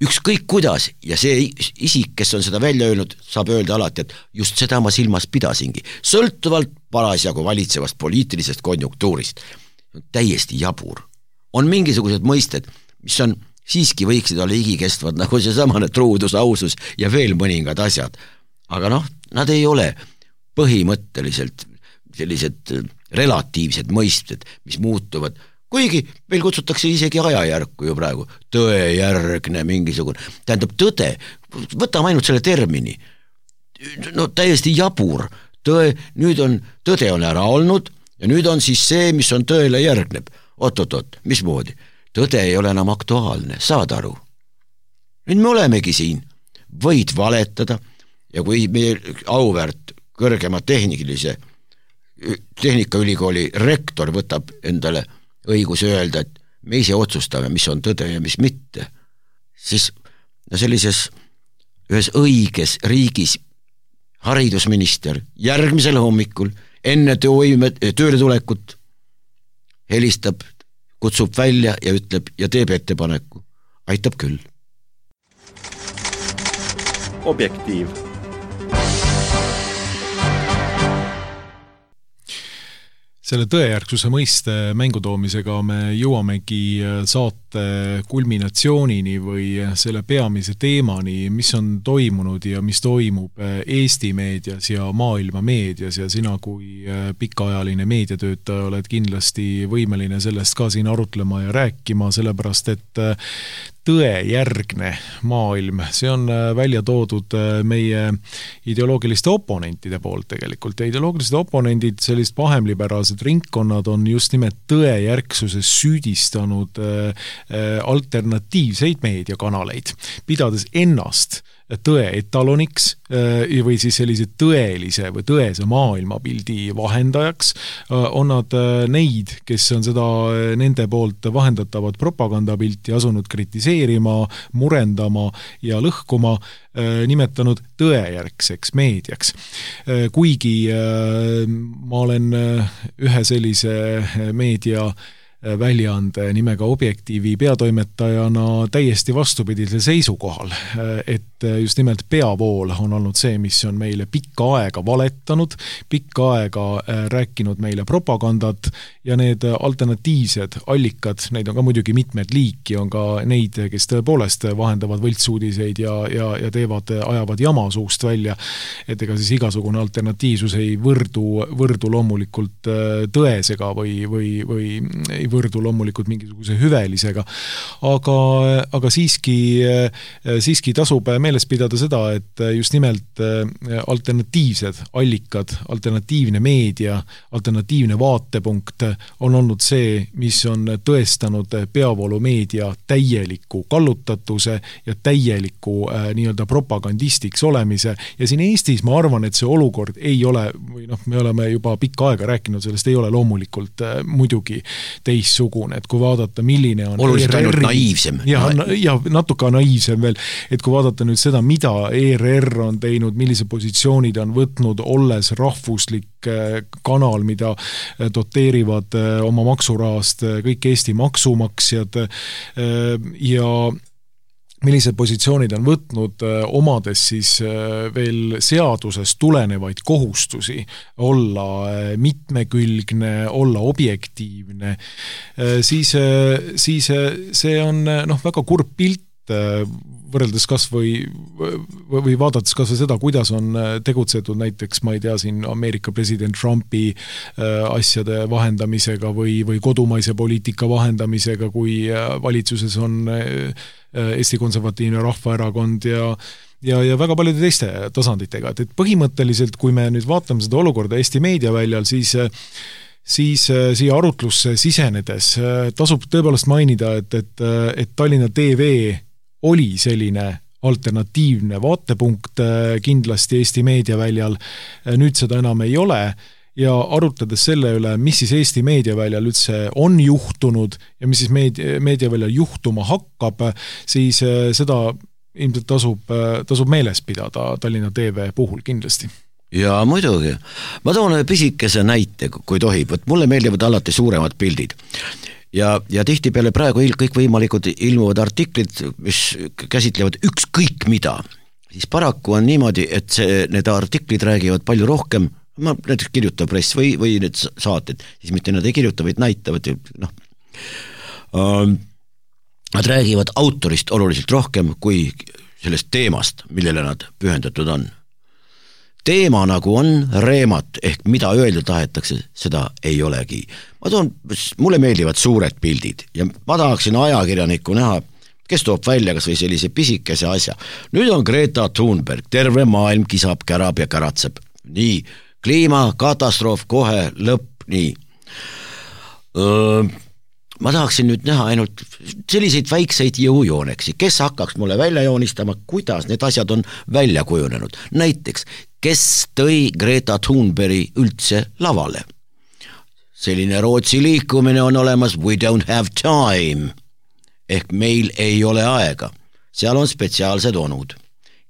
ükskõik kuidas, ja see isik, kes on seda välja öelnud, saab öelda alati, et just seda ma silmas pidasingi, sõltuvalt parasjagu valitsevast poliitilisest konjunktuurist. Täiesti jabur. On mingisugused mõisted, mis on siiski võiksid olla igikestvad, nagu see samane truudus, ausus ja veel mõningad asjad. Aga noh, nad ei ole põhimõtteliselt sellised relatiivsed mõisted, mis muutuvad. Kuigi meil kutsutakse isegi ajajärku ju praegu, tõejärgne mingisugune, tähendab tõde, võtame ainult selle termini, no täiesti jabur, tõe, nüüd on, tõde on ära olnud ja nüüd on siis see, mis on tõele järgneb, oot-oot-oot, mismoodi, tõde ei ole enam aktuaalne, saad aru, nüüd me olemegi siin, võid valetada ja kui meie auväärt kõrgema tehnikalise, tehnikaülikooli rektor võtab endale õigus öelda, et me ise otsustame, mis on tõde ja mis mitte, siis no sellises ühes õiges riigis haridusminister järgmisel hommikul enne tööime, tööle tulekut helistab, kutsub välja ja ütleb ja teeb ettepaneku. Aitab küll. Objektiiv. Selle tõejärgsuse mõiste mängutoomisega me jõuamegi saate kulminatsioonini või selle peamise teemani, mis on toimunud ja mis toimub Eesti meedias ja maailma meedias ja sina kui pikaajaline meediatöötaja oled kindlasti võimeline sellest ka siin arutlema ja rääkima, sellepärast et tõejärgne maailm, see on välja toodud meie ideoloogiliste oponentide poolt tegelikult ja ideoloogilised oponendid, sellist pahemliberaalsed ringkonnad on just nimelt tõejärgsuses süüdistanud alternatiivseid meediakanaleid, pidades ennast tõe etaloniks või siis sellise tõelise või tõese maailmapildi vahendajaks, on nad neid, kes on seda nende poolt vahendatavat propagandapilti asunud kritiseerima, murendama ja lõhkuma, nimetanud tõejärgseks meediaks. Kuigi ma olen ühe sellise meedia väljaande nimega Objektiivi peatoimetajana täiesti vastupidisel seisukohal, et just nimelt peavool on olnud see, mis on meile pikka aega valetanud, pikka aega rääkinud meile propagandat ja need alternatiivsed allikad, neid on ka muidugi mitmed liiki, on ka neid, kes tõepoolest vahendavad võltsuudiseid ja, ja, ja teevad, ajavad jama suust välja, et ega siis igasugune alternatiivsus ei võrdu, võrdu loomulikult tõesega või, või, või ei võrdu loomulikult mingisuguse hüvelisega, aga, aga siiski, siiski tasub meeles pidada seda, et just nimelt alternatiivsed allikad, alternatiivne meedia, alternatiivne vaatepunkt on olnud see, mis on tõestanud peavoolumeedia täieliku kallutatuse ja täieliku äh, nii-öelda propagandistiks olemise ja siin Eestis ma arvan, et see olukord ei ole, või noh, me oleme juba pikka aega rääkinud sellest, ei ole loomulikult äh, muidugi teissugune, et kui vaadata, milline on oluliselt ainult naiivsem. Ja, ja natuke naiivsem veel, et kui vaadata nüüd seda, mida E R R on teinud, millise positsioonid on võtnud, olles rahvuslik kanal, mida doteerivad oma maksurahast kõik Eesti maksumaksjad ja millised positsioonid on võtnud, omades siis veel seadusest tulenevaid kohustusi olla mitmekülgne, olla objektiivne, siis, siis see on noh, väga kurb pilt võrreldes kas või, või vaadates kas või seda, kuidas on tegutsetud näiteks, ma ei tea, siin Ameerika president Trumpi asjade vahendamisega või, või kodumaise poliitika vahendamisega, kui valitsuses on Eesti Konservatiivne Rahvaerakond ja ja, ja väga paljude teiste tasanditega, et, et põhimõtteliselt, kui me nüüd vaatame seda olukorda Eesti meediaväljal, siis siis siia arutlusse sisenedes tasub tõepoolest mainida, et, et, et Tallinna T V oli selline alternatiivne vaatepunkt kindlasti Eesti meediaväljal, nüüd seda enam ei ole ja arutades selle üle, mis siis Eesti meediaväljal üldse on juhtunud ja mis siis meedia, meediaväljal juhtuma hakkab, siis seda ilmselt tasub, tasub meeles pidada Tallinna T V puhul kindlasti. Ja muidugi. Ma toon pisikese näite, kui tohib, et mulle meeldivad alati suuremad pildid. Ja, ja tihti peale praegu kõik võimalikud ilmuvad artiklid, mis käsitlevad ükskõik mida, siis paraku on niimoodi, et see, need artiklid räägivad palju rohkem, ma näiteks kirjutab press või, või need saated, siis mitte nad ei kirjuta, vaid näitavad, noh, ähm, nad räägivad autorist oluliselt rohkem kui sellest teemast, millele nad pühendatud on. Teema nagu on reemat, ehk mida öelda tahetakse, seda ei olegi. Ma toon, mulle meeldivad suured pildid ja ma tahaksin ajakirjanikku näha, kes toob välja kas või sellise pisikese asja. Nüüd on Greta Thunberg, terve maailm kisab, kärab ja käratseb. Nii, kliimakatastroof kohe lõpp, nii. Öö, ma tahaksin nüüd näha ainult selliseid väikseid jõujooneksi, kes hakkaks mulle välja joonistama, kuidas need asjad on välja kujunenud. Näiteks, kes tõi Greta Thunbergi üldse lavale? Selline Rootsi liikumine on olemas We don't have time, ehk meil ei ole aega. Seal on spetsiaalsed onud,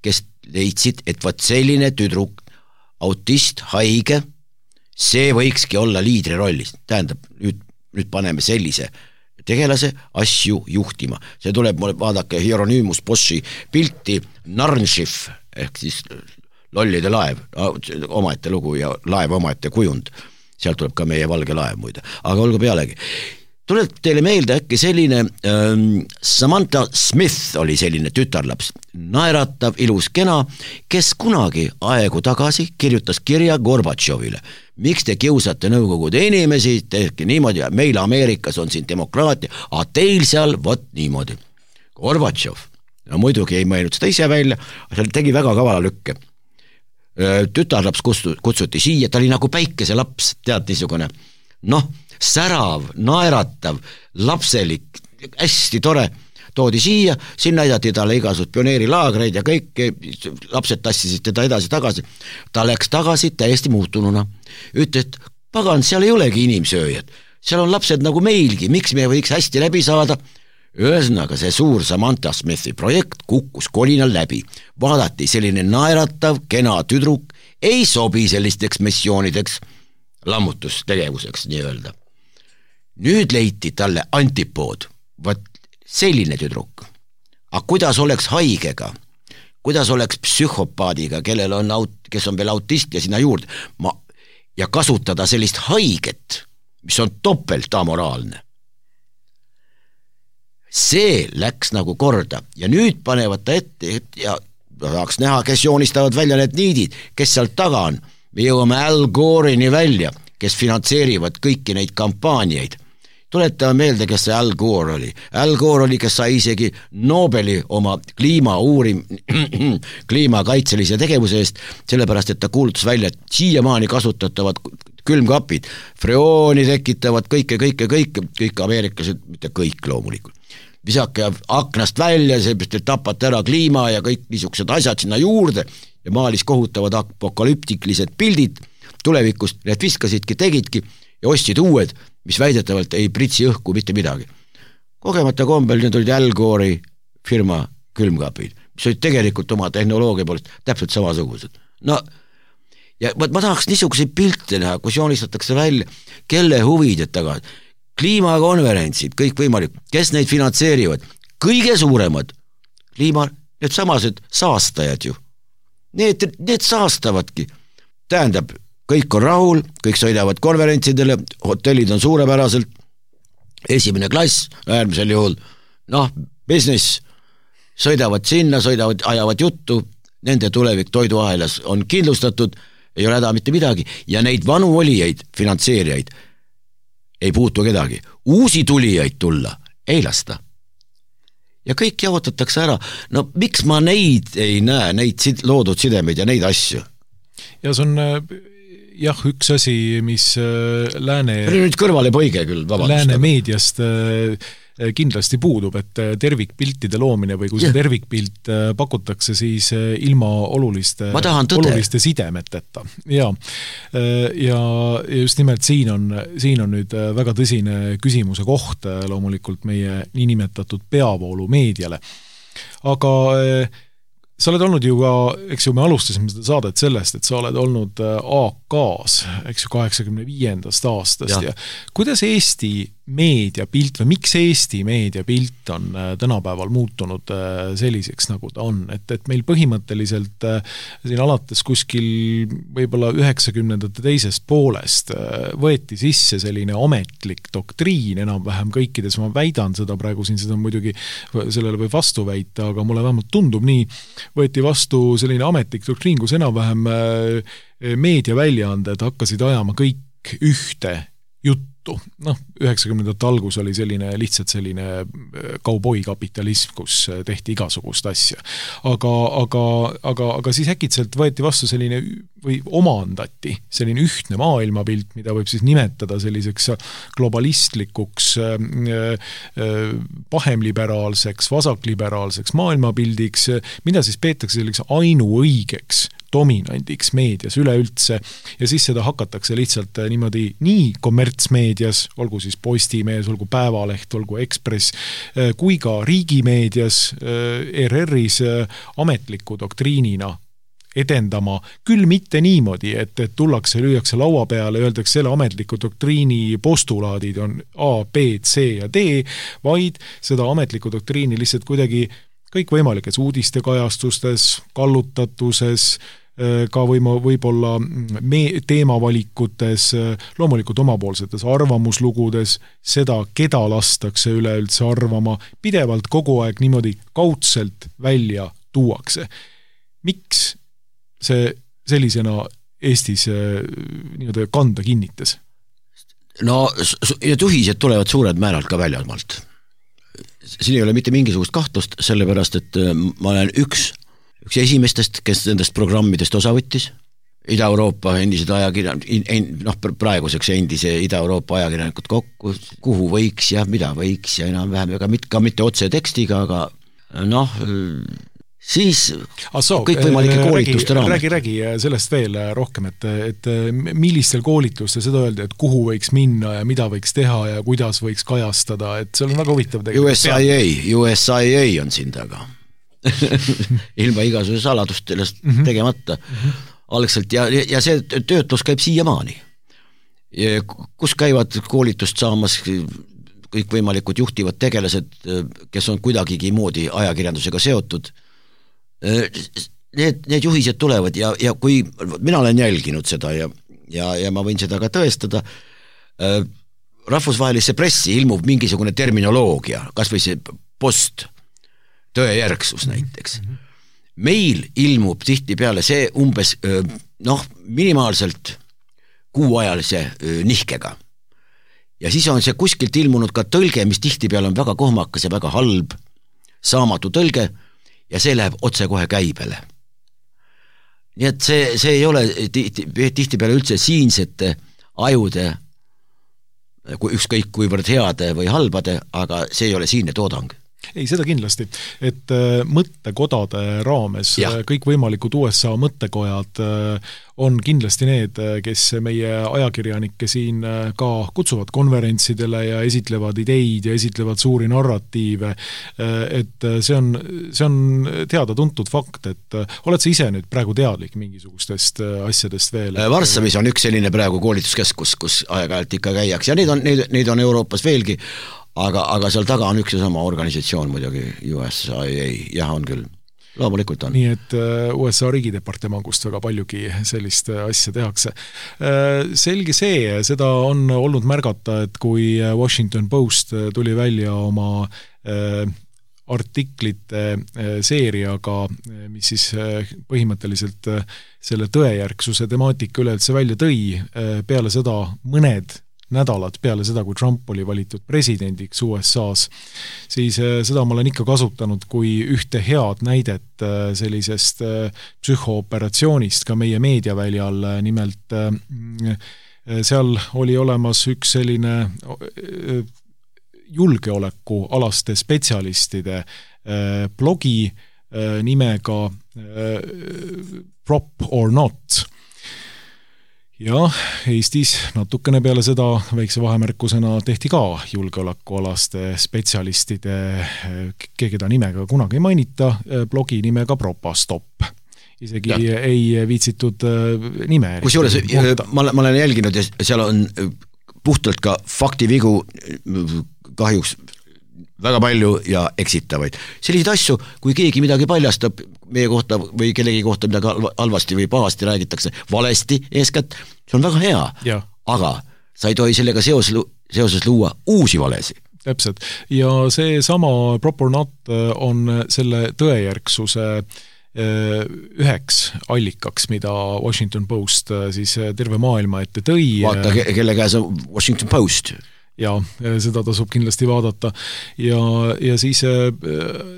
kes leidsid, et võt selline tüdruk, autist, haige, see võikski olla liidri rollis. Tähendab, nüüd nüüd paneme sellise tegelase asju juhtima. See tuleb mulle, vaadake Hieronymus Boschi pilti Narnšiv ehk siis lollide laev, omaette lugu ja laev omaette kujund. Sealt tuleb ka meie valge laev muide, aga olgu pealegi. Tuleb teile meelde äkki selline ähm, Samantha Smith oli selline tütarlaps, naeratav, ilus kena, kes kunagi aegu tagasi kirjutas kirja Gorbatšovile. Miks te kiusate Nõukogude inimesi, tehke niimoodi, meil Ameerikas on siin demokraatia, aga teil seal võt niimoodi. Gorbatšov, no muidugi ei mõelnud seda ise välja, aga tegi väga kavala lükke. Tütarlaps kutsuti siia, ta oli nagu päikese laps, tead niisugune, noh, särav, naeratav, lapselik, hästi tore, toodi siia, siin näidati talle igasugused pioneerilaagreid ja kõik, lapsed tassisid teda edasi tagasi. Ta läks tagasi täiesti muutununa. Ütles, et pagan, seal ei olegi inimsööjad, seal on lapsed nagu meilgi, miks me võiks hästi läbi saada? Ühesõnaga, see suur Samantha Smithi projekt kukkus kolinal läbi. Vaadati selline naeratav, kena tüdruk, ei sobi sellisteks missioonideks, lammutustegevuseks nii öelda. Nüüd leiti talle antipood, võt selline tüdruk. Aga kuidas oleks haigega, kuidas oleks psühhopaadiga, kellel on, kes on veel autist ja sinna juurde, ma, ja kasutada sellist haiget, mis on topelt amoraalne. See läks nagu korda ja nüüd panevad ta ette ja tahaks näha, kes joonistavad välja need niidid, kes sealt taga on. Me jõuame Al Gore'ini välja, kes finantseerivad kõiki neid kampaaniaid. Tuletame meelde, kes see Al Gore oli. Al Gore oli, kes sai isegi Nobeli oma kliima uurim, kliimakaitselise tegevuse eest, sellepärast, et ta kuulutas välja, et siiamaani kasutatavad külmkapid, freooni tekitavad kõike, kõike, kõike, kõik ameeriklased, mitte kõik loomulikult. Visake aknast välja, seepärast, et tapate ära kliima ja kõik niisugused asjad sinna juurde ja maalis kohutavad apokalüptiklised pildid tulevikust, need viskasidki, tegidki ja ostsid uued, mis väidetavalt ei pritsi õhku mitte midagi. Kogemata kombel need olid Al Gore'i firma külmkapid, mis olid tegelikult oma tehnoloogia poolest täpselt samasugused. No, ja ma, ma tahaks niisuguseid pilte näha, kus joonistatakse välja, kelle huvid taga. Kliimakonverentsid, kõik võimalik, kes neid finantseerivad, kõige suuremad kliima, need samased saastajad ju. Need, need saastavadki. Tähendab, kõik on rahul, kõik sõidavad konverentsidele, hotellid on suurepäraselt, esimene klass, äärmisel juhul, noh, business, sõidavad sinna, sõidavad, ajavad juttu, nende tulevik toiduahelas on kindlustatud, ei ole häda mitte midagi, ja neid vanu olijaid, finantseerijaid, ei puutu kedagi. Uusi tulijaid tulla, ei lasta. Ja kõik jaotatakse ära. No miks ma neid ei näe, neid sid- loodud sidemeid ja neid asju? Ja see on jah, üks asi, mis lääne... Nüüd kõrvale poige küll, vabandust. Lääne meediast kindlasti puudub, et tervikpiltide loomine või kui see tervikpilt pakutakse, siis ilma oluliste, oluliste sidemeteta. Ja, ja just nimelt siin on, siin on nüüd väga tõsine küsimuse koht loomulikult meie niinimetatud peavoolu meediale. Aga sa oled olnud ju ka, eks ju, me alustasime seda saadet sellest, et sa oled olnud A K-s, eks ju, kaheksakümne viiendast aastast ja. ja kuidas Eesti meediapilt või miks Eesti meediapilt on tänapäeval muutunud selliseks, nagu ta on, et, et meil põhimõtteliselt siin alates kuskil võib-olla üheksakümnendate teisest poolest võeti sisse selline ametlik doktriin enam-vähem kõikides, ma väidan seda praegu siin, seda muidugi sellele või vastu väita, aga mulle vähemalt tundub nii, võeti vastu selline ametlik doktriin, kus enam-vähem meediaväljaanded hakkasid ajama kõik ühte juttu. Noh, üheksakümnendate algus oli selline lihtsalt selline kauboikapitalism, kus tehti igasugust asja. Aga, aga, aga, aga siis äkitselt võeti vastu selline või omandati selline ühtne maailmapilt, mida võib siis nimetada selliseks globalistlikuks, pahemliberaalseks, vasakliberaalseks maailmapildiks, mida siis peetakse selliseks ainuõigeks dominandiks meedias üleüldse ja siis seda hakatakse lihtsalt niimoodi nii kommertsmeedias, olgu siis Postimees, olgu Päevaleht, olgu Ekspress, kui ka riigimeedias, R R-is ametliku doktriinina edendama, küll mitte niimoodi, et, et tullakse, lüüakse laua peale ja öeldakse, selle ametliku doktriini postulaadid on A, B, C ja D, vaid seda ametliku doktriini lihtsalt kuidagi kõikvõimalikes uudistekajastustes, kallutatuses, ka võima, võib-olla me, teemavalikutes, loomulikult omapoolsetes arvamuslugudes, seda, keda lastakse üleüldse arvama, pidevalt kogu aeg niimoodi kaudselt välja tuuakse. Miks see sellisena Eestis nii-öelda kanda kinnitas? No, ja juhised tulevad suured määralt ka väljamalt. Siin ei ole mitte mingisugust kahtlust, sellepärast, et ma olen üks üks esimestest, kes nendest programmidest osa võttis, Ida-Euroopa endised ajakirjanikud, noh praeguseks endise Ida-Euroopa ajakirjanikud kokku, kuhu võiks ja mida võiks ja enam-vähem, ega mit, ka mitte otse tekstiga, aga noh, siis so, kõikvõimalike koolituste raames. Räägi, räägi sellest veel rohkem, et, et millistel koolitustel seda öelda, et kuhu võiks minna ja mida võiks teha ja kuidas võiks kajastada, et see on väga huvitav tegelikult. U S I A, U S I A on siin taga. ilma igasuguse saladustele tegemata mm-hmm. algselt ja, ja see töötlus käib siiamaani. Kus käivad koolitust saamas kõikvõimalikud juhtivad tegelased, kes on kuidagigi moodi ajakirjandusega seotud. Need, need juhised tulevad ja, ja kui mina olen jälginud seda ja, ja, ja ma võin seda ka tõestada, rahvusvahelisse pressi ilmub mingisugune terminoloogia, kas või see post tõejärgsus näiteks. Meil ilmub tihti peale see umbes noh, minimaalselt kuuajalise nihkega. Ja siis on see kuskilt ilmunud ka tõlge, mis tihti peale on väga kohmakas ja väga halb, saamatu tõlge ja see läheb otse kohe käibele. Nii et see, see ei ole tihti, tihti peale üldse siinsete ajude ükskõik kuivõrd heade või halbade, aga see ei ole siinne toodang. Ei, seda kindlasti, et mõttekodade raames ja. Kõik võimalikud U S A mõttekojad on kindlasti need, kes meie ajakirjanikke siin ka kutsuvad konverentsidele ja esitlevad ideid ja esitlevad suuri narratiive, et see on, see on teada-tuntud fakt, et oled sa ise nüüd praegu teadlik mingisugustest asjadest veel? Varssavis on üks selline praegu koolituskeskus, kus aeg-ajalt ikka käiaks ja neid on, neid, neid on Euroopas veelgi, Aga, aga seal taga on üks ja sama organisatsioon muidugi, U S I A, jah on küll, loomulikult on. Nii et U S A riigidepartemangust väga paljugi sellist asja tehakse. Selge see, seda on olnud märgata, et kui Washington Post tuli välja oma artiklite seeriaga, mis siis põhimõtteliselt selle tõejärgsuse temaatika üleüldse välja tõi, peale seda mõned nädalad peale seda, kui Trump oli valitud presidendiks U S A-s, siis seda ma olen ikka kasutanud kui ühte head näidet sellisest psühhooperatsioonist ka meie meediaväljal, nimelt seal oli olemas üks selline julgeolekualaste spetsialistide blogi nimega Prop or Not. Ja Eestis natukene peale seda väikse vahemärkusena tehti ka julgeolekualaste spetsialistide, keda nimega kunagi ei mainita, blogi nimega Propastop. Isegi ja. Ei viitsitud nime. Kusjuures ma, ma olen jälginud ja seal on puhtalt ka faktivigu kahjuks väga palju ja eksitavaid. Selliseid asju, kui keegi midagi paljastab meie kohta või kellegi kohta midagi halvasti või pahasti räägitakse, valesti eeskätt, see on väga hea, ja. Aga sa ei tohi sellega seos, seoses luua uusi valesi. Täpselt. Ja see sama Prop or Not on selle tõejärgsuse üheks allikaks, mida Washington Post siis terve maailma ette tõi. Vaata, kelle käes on Washington Post. Ja seda tasub kindlasti vaadata ja, ja siis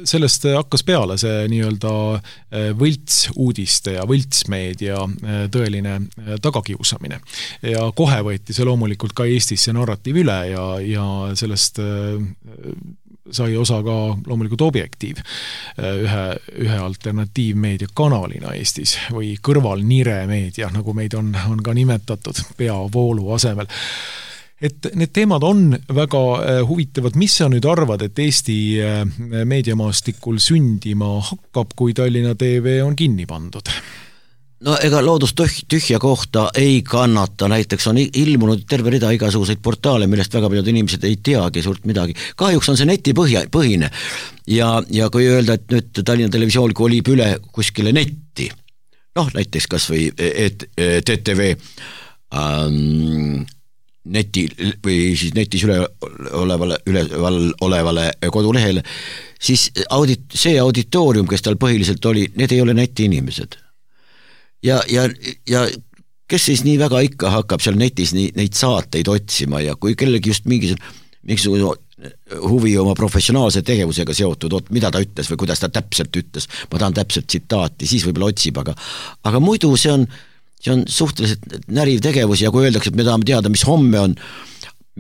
sellest hakkas peale see nii-öelda võlts uudiste ja võltsmeedia tõeline tagakiusamine ja kohe võeti see loomulikult ka Eestis see narratiiv üle ja, ja sellest sai osa ka loomulikult Objektiiv ühe, ühe alternatiivmeedia kanalina Eestis või kõrvalnire meedia, nagu meid on, on ka nimetatud peavoolu asemel. Et need teemad on väga huvitavad. Mis sa nüüd arvad, et Eesti meediamaastikul sündima hakkab, kui Tallinna T V on kinni pandud? no ega loodus tühja kohta ei kannata, näiteks on ilmunud terve rida igasuguseid portaale, millest väga paljud inimesed ei teagi suurt midagi. Kahjuks on see netipõhja, põhine ja, ja kui öelda, et nüüd Tallinna Televisioon kolib üle kuskile netti, noh näiteks kas või T T V ähm, neti või siis netis üle olevale, üleval olevale kodulehele, siis audit, see auditoorium, kes tal põhiliselt oli, need ei ole neti inimesed. Ja, ja, ja kes siis nii väga ikka hakkab seal netis nii, neid saateid otsima ja kui kellegi just mingisugune huvi oma professionaalse tegevusega seotud, oot, mida ta ütles või kuidas ta täpselt ütles, ma tahan täpselt tsitaati, siis võib-olla otsib, aga, aga muidu see on, see on suhteliselt näriv tegevus ja kui öeldakse, et me tahame teada, mis homme on,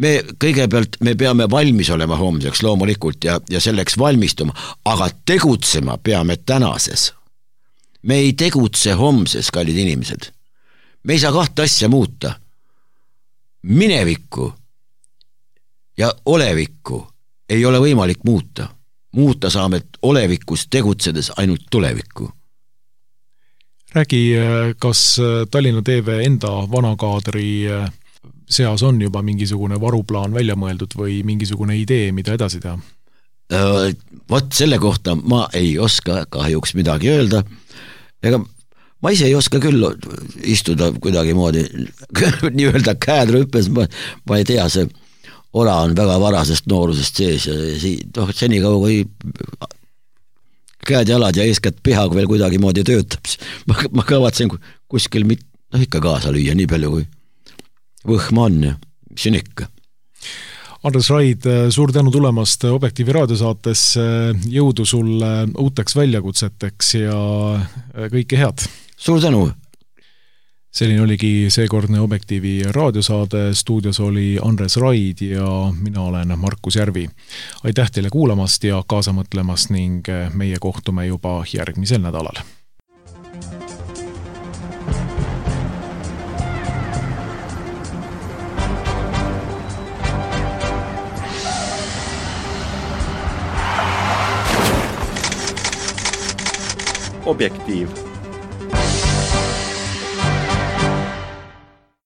me kõigepealt me peame valmis olema homseks loomulikult ja, ja selleks valmistuma, aga tegutsema peame tänases. Me ei tegutse homses, kallid inimesed. Me ei saa kahte asja muuta. Minevikku ja olevikku ei ole võimalik muuta. Muuta saame olevikus tegutsedes ainult tulevikku. Räägi, kas Tallinna T V enda vanakaadri seas on juba mingisugune varuplaan välja mõeldud või mingisugune idee, mida edasi teha? Vot selle kohta ma ei oska kahjuks midagi öelda. Ega ma ise ei oska küll istuda kuidagi moodi, nii öelda käed rüppes, ma, ma ei tea, see ora on väga varasest noorusest sees ja noh, seni kaua kui käed, jalad ja eeskätt peha veel kuidagi moodi töötab, ma, ma kavatsen kuskil mit, noh, ikka kaasa lüüa nii palju kui võhma on ja mis on ikka. Andres Raid, suur tänu tulemast Objektiivi raadiosaatesse, jõudu sulle uuteks väljakutseteks ja kõike head. Suur tänu! Selline oligi seekordne Objektiivi raadiosaade, stuudios oli Andres Raid ja mina olen Markus Järvi. Aitäh teile kuulamast ja kaasa mõtlemast ning meie kohtume juba järgmisel nädalal. Objektiiv